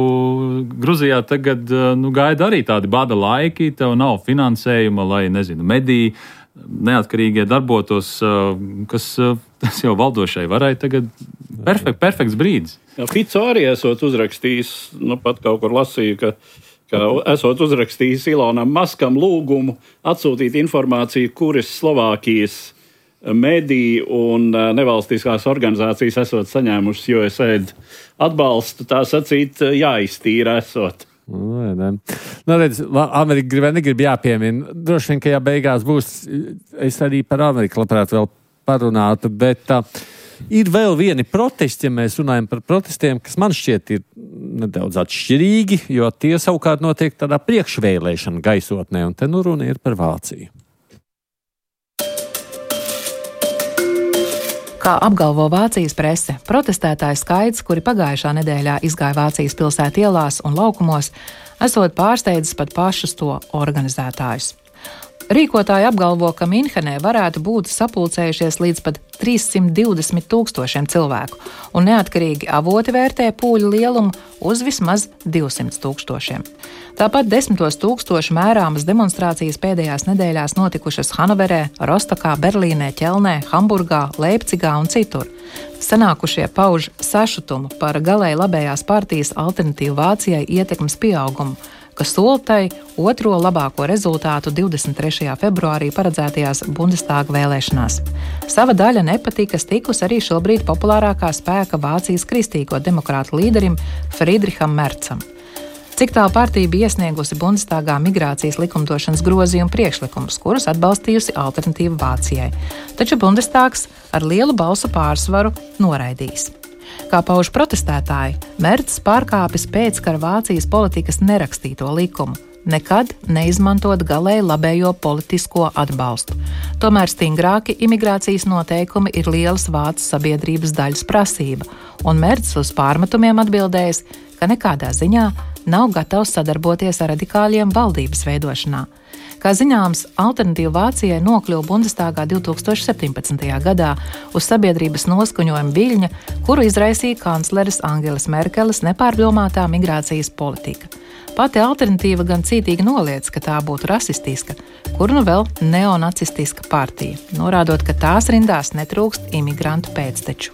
Gruzijā tagad nu, gaida arī tādi bada laiki, tev nav finansējuma, lai, nezinu, mediji neatkarīgie darbotos, kas tas jau valdošai varai tagad perfekt, perfekts brīdis. Jā, Fico arī esot uzrakstījis, nu pat kaut kur lasīju, ka, ka esot uzrakstījis Ilonam Maskam lūgumu atsūtīt informāciju, kuras Slovākijas mediji un nevalstiskās organizācijas esot saņēmušas U S A I D atbalstu, tā sacīt, jāiztīra esot. Nu, ne. Nu, redz, Amerika grib, negrib jāpiemina. Droši vien, ka jā beigās būs, es arī par Ameriku labprāt vēl parunātu, bet uh, ir vēl vieni protesti, ja mēs runājam par protestiem, kas man šķiet ir nedaudz atšķirīgi, jo tie savukārt notiek tādā priekšvēlēšana gaisotnē, un te nu runa ir par Vāciju. Kā apgalvo Vācijas prese, protestētāju skaits, kuri pagājušā nedēļā izgāja Vācijas pilsētu ielās un laukumos, esot pārsteidzis pat pašus to organizētājus. Rīkotāji apgalvo, ka Minhenē varētu būt sapulcējušies līdz pat trīssimt divdesmit tūkstošiem cilvēku, un neatkarīgi avoti vērtē pūļu lielumu uz vismaz divsimt tūkstošiem. Tāpat desmitos tūkstošu mērāmas demonstrācijas pēdējās nedēļās notikušas Hanoverē, Rostokā, Berlīnē, Ķelnē, Hamburgā, Leipcigā un citur. Sanākušie pauž sašutumu par galēji labējās partijas Alternatīvu Vācijai ietekmes pieaugumu, kas sola tai otro labāko rezultātu divdesmit trešajā februārī paredzētajās Bundestāga vēlēšanās. Sava daļa nepatikas tikus arī šobrīd populārākā spēka Vācijas kristīgo demokrātu līderim Friedricham Merzam. Cik tālu partija bija iesniegusi Bundestāgā migrācijas likumdošanas grozījumu priekšlikumus, kurus atbalstījusi Alternatīva Vācijai, taču Bundestāgs ar lielu balsu pārsvaru noraidījis. Kā pauž protestētāji, Merts pārkāpis pēckara Vācijas politikas nerakstīto likumu, nekad neizmantot galēji labējo politisko atbalstu. Tomēr stingrāki imigrācijas noteikumi ir lielas vācu sabiedrības daļas prasība, un Merts uz pārmetumiem atbildējis, ka nekādā ziņā nav gatavs sadarboties ar radikāļiem valdības veidošanā. Kā zināms, Alternatīva Vācijai nokļuva Bundestāgā divtūkstoš septiņpadsmitajā gadā uz sabiedrības noskaņojuma viļņa, kuru izraisīja kancleres Angelas Merkeles nepārdomātā migrācijas politika. Pati Alternatīva gan cītīgi noliedz, ka tā būtu rasistiska, kur nu vēl neonacistiska partija, norādot, ka tās rindās netrūkst imigrantu pēcteču.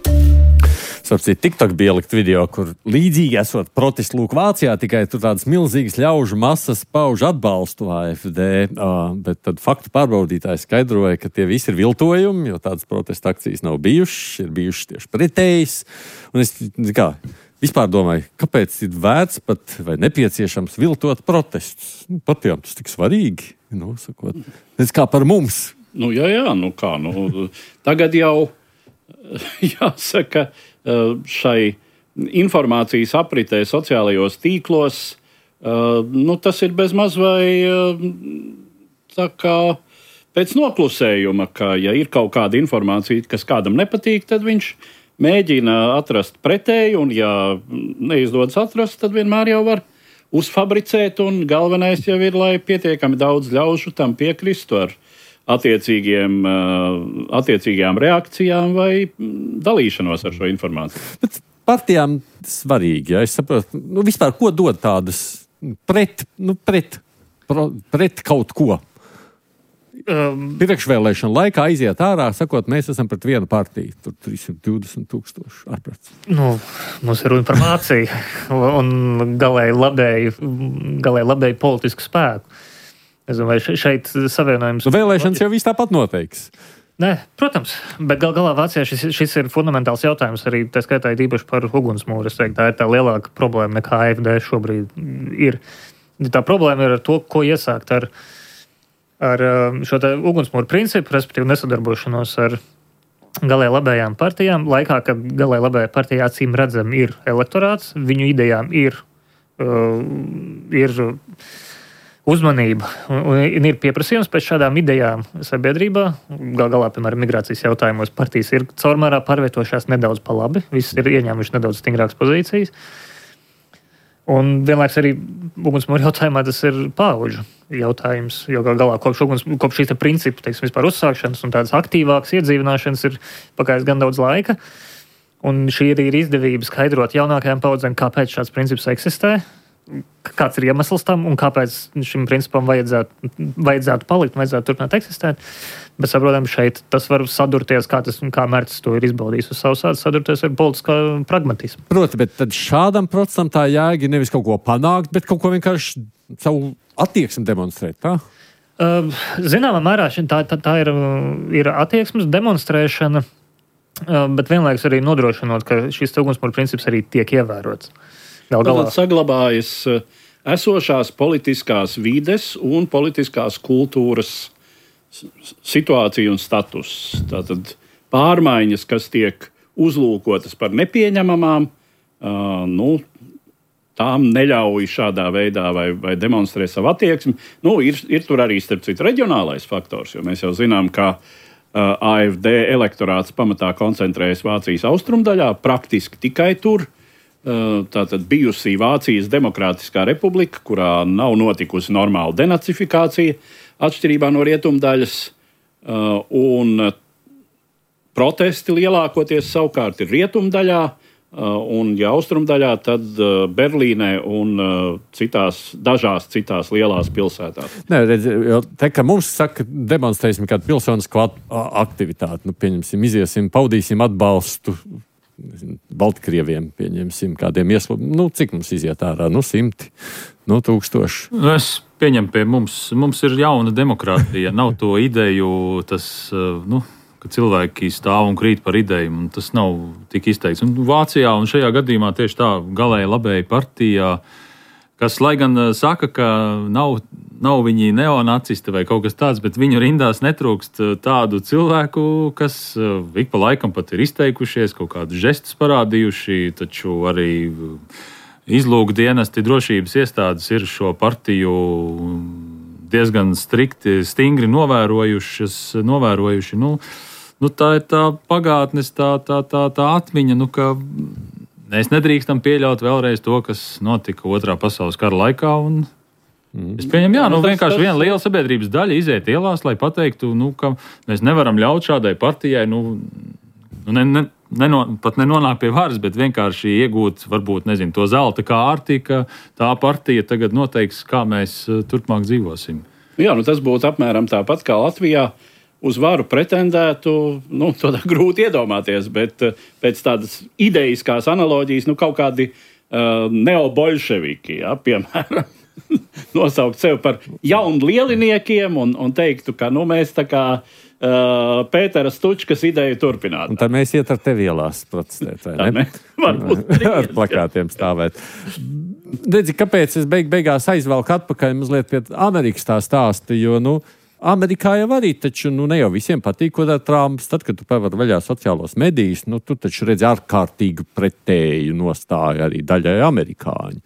Sapcīt, TikTok bija ielikt video, kur līdzīgi esot protestu lūk Vācijā, tikai tur tādas milzīgas ļaužu masas pauž atbalstu A F D, uh, bet tad faktu pārbaudītāji skaidroja, ka tie visi ir viltojumi, jo tādas protesta akcijas nav bijušas, ir bijušas tieši pretējas. Un es kā, vispār domāju, kāpēc ir vērts pat vai nepieciešams viltot protestus? Nu, patiem tas tik svarīgi, nu, sakot. Tas kā par mums. Nu, jā, jā, nu kā, nu, tagad jau jāsaka, šai informācijas apritē sociālajos tīklos, nu, tas ir bezmaz vai tā kā pēc noklusējuma, ka, ja ir kaut kāda informācija, kas kādam nepatīk, tad viņš mēģina atrast pretēju, un ja neizdodas atrast, tad vienmēr jau var uzfabricēt, un galvenais jau ir, lai pietiekami daudz ļaužu tam piekristu ar attiecīgiem, attiecīgajām reakcijām vai dalīšanos ar šo informāciju. Bet partijām svarīgi, ja es saprotu, nu vispār, ko dod tādas pret, nu pret, pret kaut ko? Um, Priekšvēlēšana laikā aiziet ārā, sakot, mēs esam pret vienu partiju. Tur trīssimt divdesmit tūkstoši ārprāts. Nu, mums ir runa par Vāciju un galēji labēju, galēji labēju politisku spēku. Es domāju, šeit savienojums... Vēlēšanas jau viss tāpat noteiks. Nē, protams, bet gal galā Vācijā šis, šis ir fundamentāls jautājums arī, tā skaitā īpaši par ugunsmūru. Es teiktu, tā ir tā lielāka problēma nekā A F D šobrīd ir. Tā problēma ir ar to, ko iesākt ar, ar šo te ugunsmūru principu, respektīvi nesadarbošanos ar galēji labējām partijām. Laikā, kad galēji labējā partijā acīm redzam ir elektorāts, viņu idejām ir... Uh, ir uzmanība un ir pieprasījums pēc šādām idejām sabiedrībā. Gal galā, piemēram, migrācijas jautājumos partijas ir caurmērā pārvietojušās nedaudz pa labi, visi ir ieņēmuši nedaudz stingrākas pozīcijas. Un vienlaiks arī ugunsmūra jautājumā tas ir paudžu jautājums, jo gal galā kopš, uguns, kopš šīs principu, teiksim, vispār uzsākšanas un tādas aktīvākas iedzīvināšanas ir pagājis gan daudz laika. Un šī arī ir izdevība skaidrot jaunākajām paudzēm, kāpēc šāds princips eksistē. kāds ir iemesls tam un kāpēc šim principam vajadzētu, vajadzētu palikt, vajadzētu turpināt eksistēt. Bet, saprotam, šeit tas var sadurties, kā, tas, kā Mērķis to ir izbaudījis uz savu sādu, sadurties ar politiskā pragmatismu. Proti, bet tad šādam procesam tā jēga ir nevis kaut ko panākt, bet kaut ko vienkārši savu attieksmi demonstrēt, tā? Uh, zināmā mērā tā, tā, tā ir, ir attieksmes demonstrēšana, uh, bet vienlaikus arī nodrošinot, ka šis ugunsmūra princips arī tiek ievērots. Gal galā. Tad saglabājas esošās politiskās vides un politiskās kultūras situācija un status. Tātad pārmaiņas, kas tiek uzlūkotas par nepieņemamām, uh, nu, tām neļauj šādā veidā vai, vai demonstrē savu attieksmi. Nu, ir, ir tur arī, starp citu, reģionālais faktors, jo mēs jau zinām, ka uh, A F D elektorāts pamatā koncentrējas Vācijas austrumdaļā, praktiski tikai tur. Tātad bijusī Vācijas Demokrātiskā republika, kurā nav notikusi normāla denacifikācija, atšķirībā no rietumdaļas, un protesti lielākoties savukārt ir rietumdaļā, un ja austrumdaļā, tad Berlīnē un citās, dažās citās lielās pilsētās. Nē, redz, jo te, ka mums saka, demonstrēsim kādu pilsonisko aktivitāti, nu, pieņemsim, iziesim, paudīsim atbalstu Baltkrieviem, pieņemsim, kādiem ieslūgumiem. Nu, cik mums iziet ārā? Nu, simti, nu, tūkstoši. Es pieņemu pie mums. Mums ir jauna demokrātija. Nav to ideju, tas, nu, ka cilvēki stāv un krīt par ideju, un tas nav tik izteikts. Un Vācijā un šajā gadījumā tieši tā galēji labēji partijā, kas, lai gan saka, ka nav, nav viņi neonacisti vai kaut kas tāds, bet viņu rindās netrūkst tādu cilvēku, kas ik pa laikam pat ir izteikušies, kaut kādus žestus parādījuši, taču arī izlūku dienesti, drošības iestādes ir šo partiju diezgan strikti, stingri novērojušas, novērojuši. Nu, nu tā ir tā pagātnes, tā, tā, tā, tā atmiņa, nu, ka mēs nedrīkstam pieļaut vēlreiz to, kas notika Otrā pasaules kara laikā. Un es pieņemu, jā, nu, vienkārši viena liela sabiedrības daļa iziet ielās, lai pateiktu, nu, ka mēs nevaram ļaut šādai partijai, nu, ne, ne, neno, pat nenonāk pie varas, bet vienkārši iegūt, varbūt, nezinu, to zelta kārti, ka tā partija tagad noteiks, kā mēs turpmāk dzīvosim. Jā, nu, tas būtu apmēram tāpat kā Latvijā. Uz varu pretendētu, nu, to tā grūti iedomāties, bet pēc tādas idejiskās analoģijas, nu, kaut kādi uh, neobolševiki, ja, piemēram, nosaukt sevi par jaunu lieliniekiem un, un teiktu, ka, nu, mēs tā kā uh, Pētera Stučkas ideju turpināt. Un tad mēs iet ar tevi ielās protestēt, vai tā ne? Varbūt. Ar plakātiem stāvēt. Redzi, kāpēc es beig, beigās aizvelku atpakaļ mazliet pie Amerikas tā stāsta, jo, nu, Amerikā jau arī, taču nu, ne jau visiem patīk, ko dara Trumps. Tad, kad tu pavari vaļā sociālos medijus, nu, tu taču redzi ārkārtīgi pretēju nostāju arī daļai amerikāņu.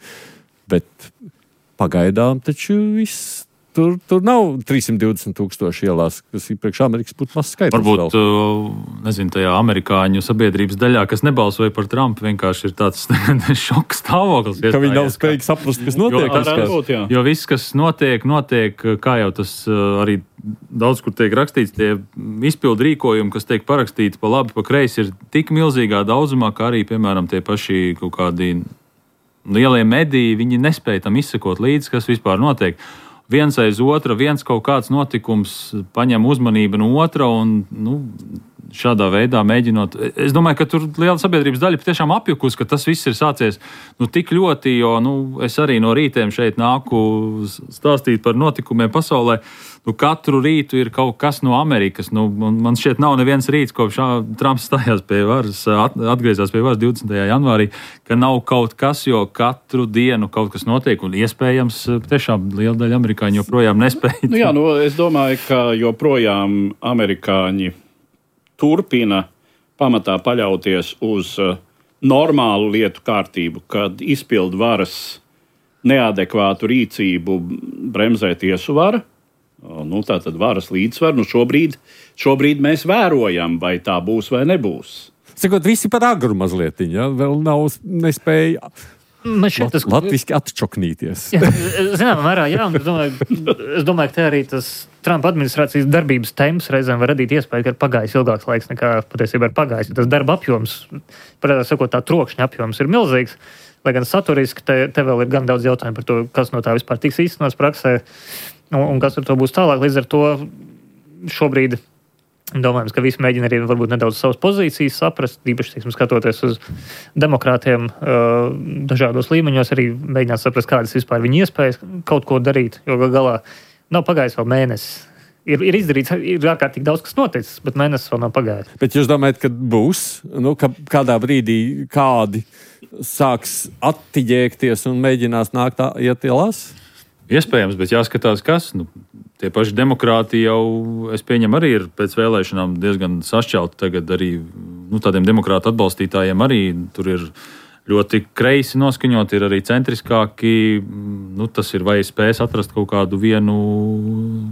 Bet pagaidām taču viss. Tur, tur nav trīssimt divdesmit tūkstoši ielās, kas ir priekš Amerikas būtu mazs skaitlis. Varbūt, vēl. nezinu, tajā amerikāņu sabiedrības daļā, kas nebalsoja par Trumpu, vienkārši ir tāds šoks stāvoklis. Ka viņi nav spējīgi saprast, kas notiek. Jo, tas, kas, būt, jo viss, kas notiek, notiek, kā jau tas arī daudz kur tiek rakstīts, tie izpildu rīkojumi, kas tiek parakstīti pa labi, pa kreisi, ir tik milzīgā daudzumā, ka arī, piemēram, tie paši kaut kādi lielie mediji, viņi nespēja tam izsekot līdzi, kas vispār notiek. Viens aiz otra, viens kaut kāds notikums paņem uzmanību no otra un, nu, šādā veidā mēģinot. Es domāju, ka tur liela sabiedrības daļa patiešām apjukus, ka tas viss ir sācies nu, tik ļoti, jo nu, es arī no rītiem šeit nāku stāstīt par notikumiem pasaulē. Nu, katru rītu ir kaut kas no Amerikas. Nu, man šķiet, nav neviens rīts, kopš Trumps stājās pie varas, atgriezās pie varas divdesmitajā janvārī, ka nav kaut kas, jo katru dienu kaut kas notiek, un iespējams tiešām liela daļa amerikāņu joprojām nespēja. Nu, jā, nu, es domāju, ka joprojām amerikāņi turpina pamatā paļauties uz normālu lietu kārtību, kad izpildu varas neadekvātu rīcību bremzē tiesu vara. Nu, tā tad varas līdzsvaru. Nu, šobrīd, šobrīd mēs vērojam, vai tā būs vai nebūs. Sakot, visi par agru mazlietiņ, ja? Vēl nav nespēja tas... latviski atčoknīties. Zināmā mērā, jā, un es domāju, es domāju, ka te arī tas Trumpa administrācijas darbības temps reizēm var radīt iespēju, ka ir pagājis ilgāks laiks nekā patiesībā ir pagājis. Tas darba apjoms, pareizāk sakot, tā trokšņa apjoms ir milzīgs. lai gan saturiski te, te vēl ir gan daudz jautājumu par to, kas no tā vispār tiks īstenots praksē un, un kas ar to būs tālāk. Līdz ar to šobrīd domājams, ka visi mēģina arī varbūt nedaudz savas pozīcijas saprast, īpaši, teiksim, skatoties uz demokrātiem uh, dažādos līmeņos, arī mēģināt saprast, kādas vispār viņa iespējas kaut ko darīt, jo galā nav pagājis vēl mēnesis. Ir, ir izdarīts, ir ārkārtīgi daudz, kas noticis, bet mēnesis vēl nav pagājis. Bet jūs domājat, ka būs, nu, ka kādā brīdī kādi sāks attiģēkties un mēģinās nākt tā, iet ielās? Iespējams, bet jāskatās, kas. Nu, tie paši demokrāti jau, es pieņemu, arī ir pēc vēlēšanām diezgan sašķelti tagad arī, nu, tādiem demokrātu atbalstītājiem arī tur ir ļoti kreisi noskaņot, ir arī centriskāki. Nu, tas ir, vai spēs atrast kaut kādu vienu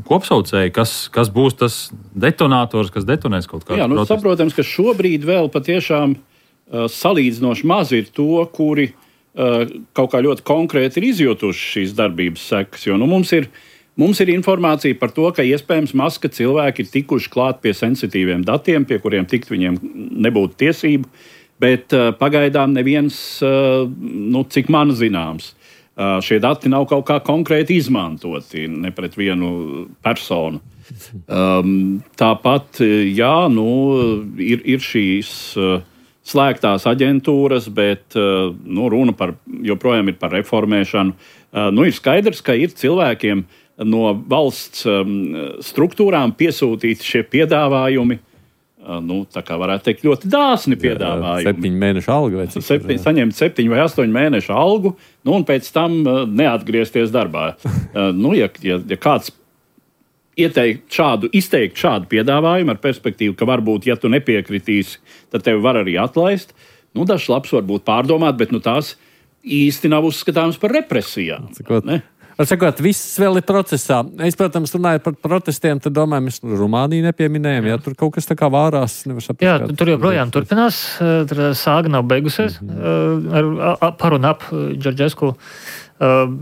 kopsaucēju, kas, kas būs tas detonators, kas detonēs kaut kādu Jā, nu, protestu. saprotams, ka šobrīd vēl patiešām uh, salīdzinoši maz ir to, kuri uh, kaut kā ļoti konkrēti ir izjutuši šīs darbības sekas. Jo nu, mums, ir, mums ir informācija par to, ka iespējams maz, ka cilvēki ir tikuši klāt pie sensitīviem datiem, pie kuriem tikt viņiem nebūtu tiesību. Bet uh, pagaidām neviens, uh, nu, cik man zināms, uh, šie dati nav kaut kā konkrēti izmantoti ne pret vienu personu. Um, tāpat, jā, nu, ir, ir šīs uh, slēgtās aģentūras, bet uh, nu, runa par, joprojām ir par reformēšanu. Uh, nu, ir skaidrs, ka ir cilvēkiem no valsts um, struktūrām piesūtīti šie piedāvājumi. Nu, tā kā varētu teikt, ļoti dāsni piedāvājumi. Septiņu mēnešu algu vai cik? Septiņ, saņemt septiņu vai astoņu mēnešu algu, nu, un pēc tam uh, neatgriezties darbā. Uh, nu, ja, ja, ja kāds ieteikt šādu, izteikt šādu piedāvājumu ar perspektīvu, ka varbūt, ja tu nepiekritīsi, tad tevi var arī atlaist, nu, dažs labs varbūt pārdomāt, bet nu, tās īsti nav uzskatāms par represijām. Cikot, var sakot, viss vēl ir procesā. Es, protams, runāju par protestiem, tad domāju, mēs Rumāniju nepieminējam, ja tur kaut kas tā kā vārās. Saprast, Jā, tur joprojām turpinās, tur sāga nav beigusies mm-hmm. ar, ar, par un ap Džordžesku.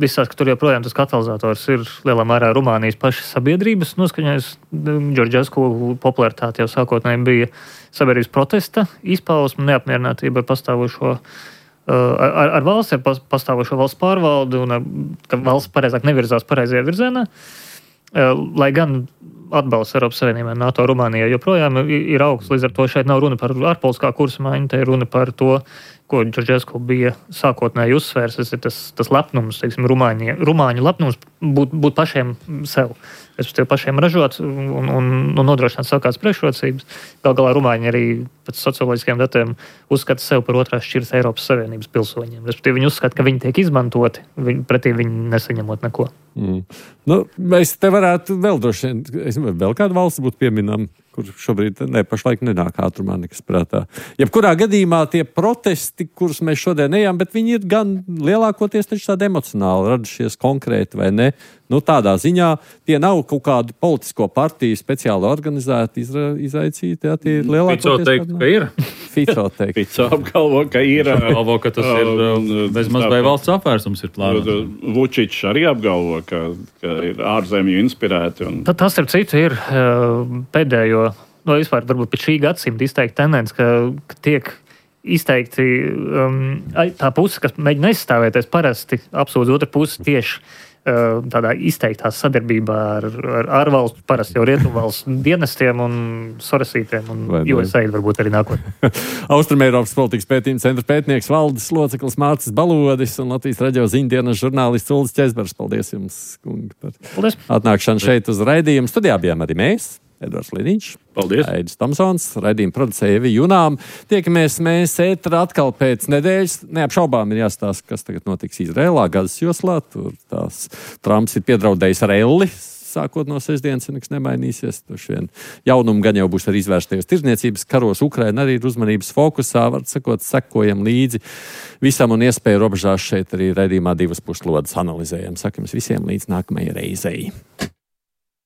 Visās, ka tur joprojām tas katalizators ir lielā mērā Rumānijas pašas sabiedrības noskaņojis. Džordžesku popularitāte jau sākotnēji bija sabiedrības protesta izpausme, neapmierinātība ar pastāvošo Ar, ar valsts, ar pastāvošo valsts pārvaldi un ka valsts pareizāk nevirzās pareizajā virzienā. Lai gan atbalsts Eiropas Savienībai NATO Rumānijai joprojām ir augsts, līdz ar to šeit nav runa par ārpolitiskā kursa maiņu, te ir runa par to, ko Džordžesku bija sākotnēji uzsvērs, tas ir tas, tas lepnums, teiksim, Rumāņi, Rumāņu lepnums būt, būt pašiem sev. Es tev pašiem ražot un, un, un nodrošināt savu kādas priekšrocības. Gal galā Rumāņi arī pēc socioloģiskiem datiem uzskata sev par otrās šķiras Eiropas Savienības pilsoņiem. Respektīvi, viņi uzskata, ka viņi tiek izmantoti, viņi, pretī viņi nesaņemot neko. Mm. Nu, mēs te varētu vēl droši vien, es domāju, vēl kāda valsts būtu pieminama, kur šobrīd ne, pašlaik nenāk ātrumā nekas prātā. Jebkurā gadījumā tie protesti, kurus mēs šodien ejam, bet viņi ir gan lielākoties taču tādi emocionāli radušies konkrēti vai ne. Nu, tādā ziņā tie nav kaut kādu politisko partiju speciāli organizēti, izra, izraicīti. Jā, tie ir lielākoties. Fico teikt, ka ir. Fico teikt. Fico apgalvo, ka ir. Apgalvo, ka tas ir bezmaz vai valsts apvērsums ir plānots. Vučičs arī apgalvo, ka, ka ir ārzemju inspirēti. Un... Tas, ar citu, ir pēdējo, no vispār varbūt pēc šī gadsimta izteikti tendence, ka, ka tiek izteikti um, tā puse, kas mēģina aizstāvēties, parasti apsūdz otru pusi tieši tādā izteiktā sadarbībā ar, ar ārvalstu, parasti jau rietumvalstu dienestiem un sorasītiem un U S A varbūt arī nākotnē. Austrumeiropas politikas pētījuma centra pētnieks valdes loceklis Mārcis Balodis un Latvijas radio ziņdienas žurnālists Uldis Česbers. Paldies jums, kungi, par Paldies. Atnākšanu šeit uz raidījumu. Studijā bijām arī mēs. Edvards Liniņš, Paldies. Aidis Tomsons, raidījuma producēja Evi Junām. Tiekamies mēs ētrā atkal pēc nedēļas. Neapšaubām ir jāstāsta, kas tagad notiks Izrēlā, Gazas joslā. Tur tās Trumps ir piedraudējis ar elli. Sākot no sestdienas, ja nekas nemainīsies. Vien jaunumu gan jau būs arī izvērstajos tirdzniecības karos. Ukraina arī ir uzmanības fokusā. Var sakot, sekojam līdzi visam un iespēju robežās šeit arī raidījumā divas puslodes analizējam. Sakam visiem līdz nākamajai reizei.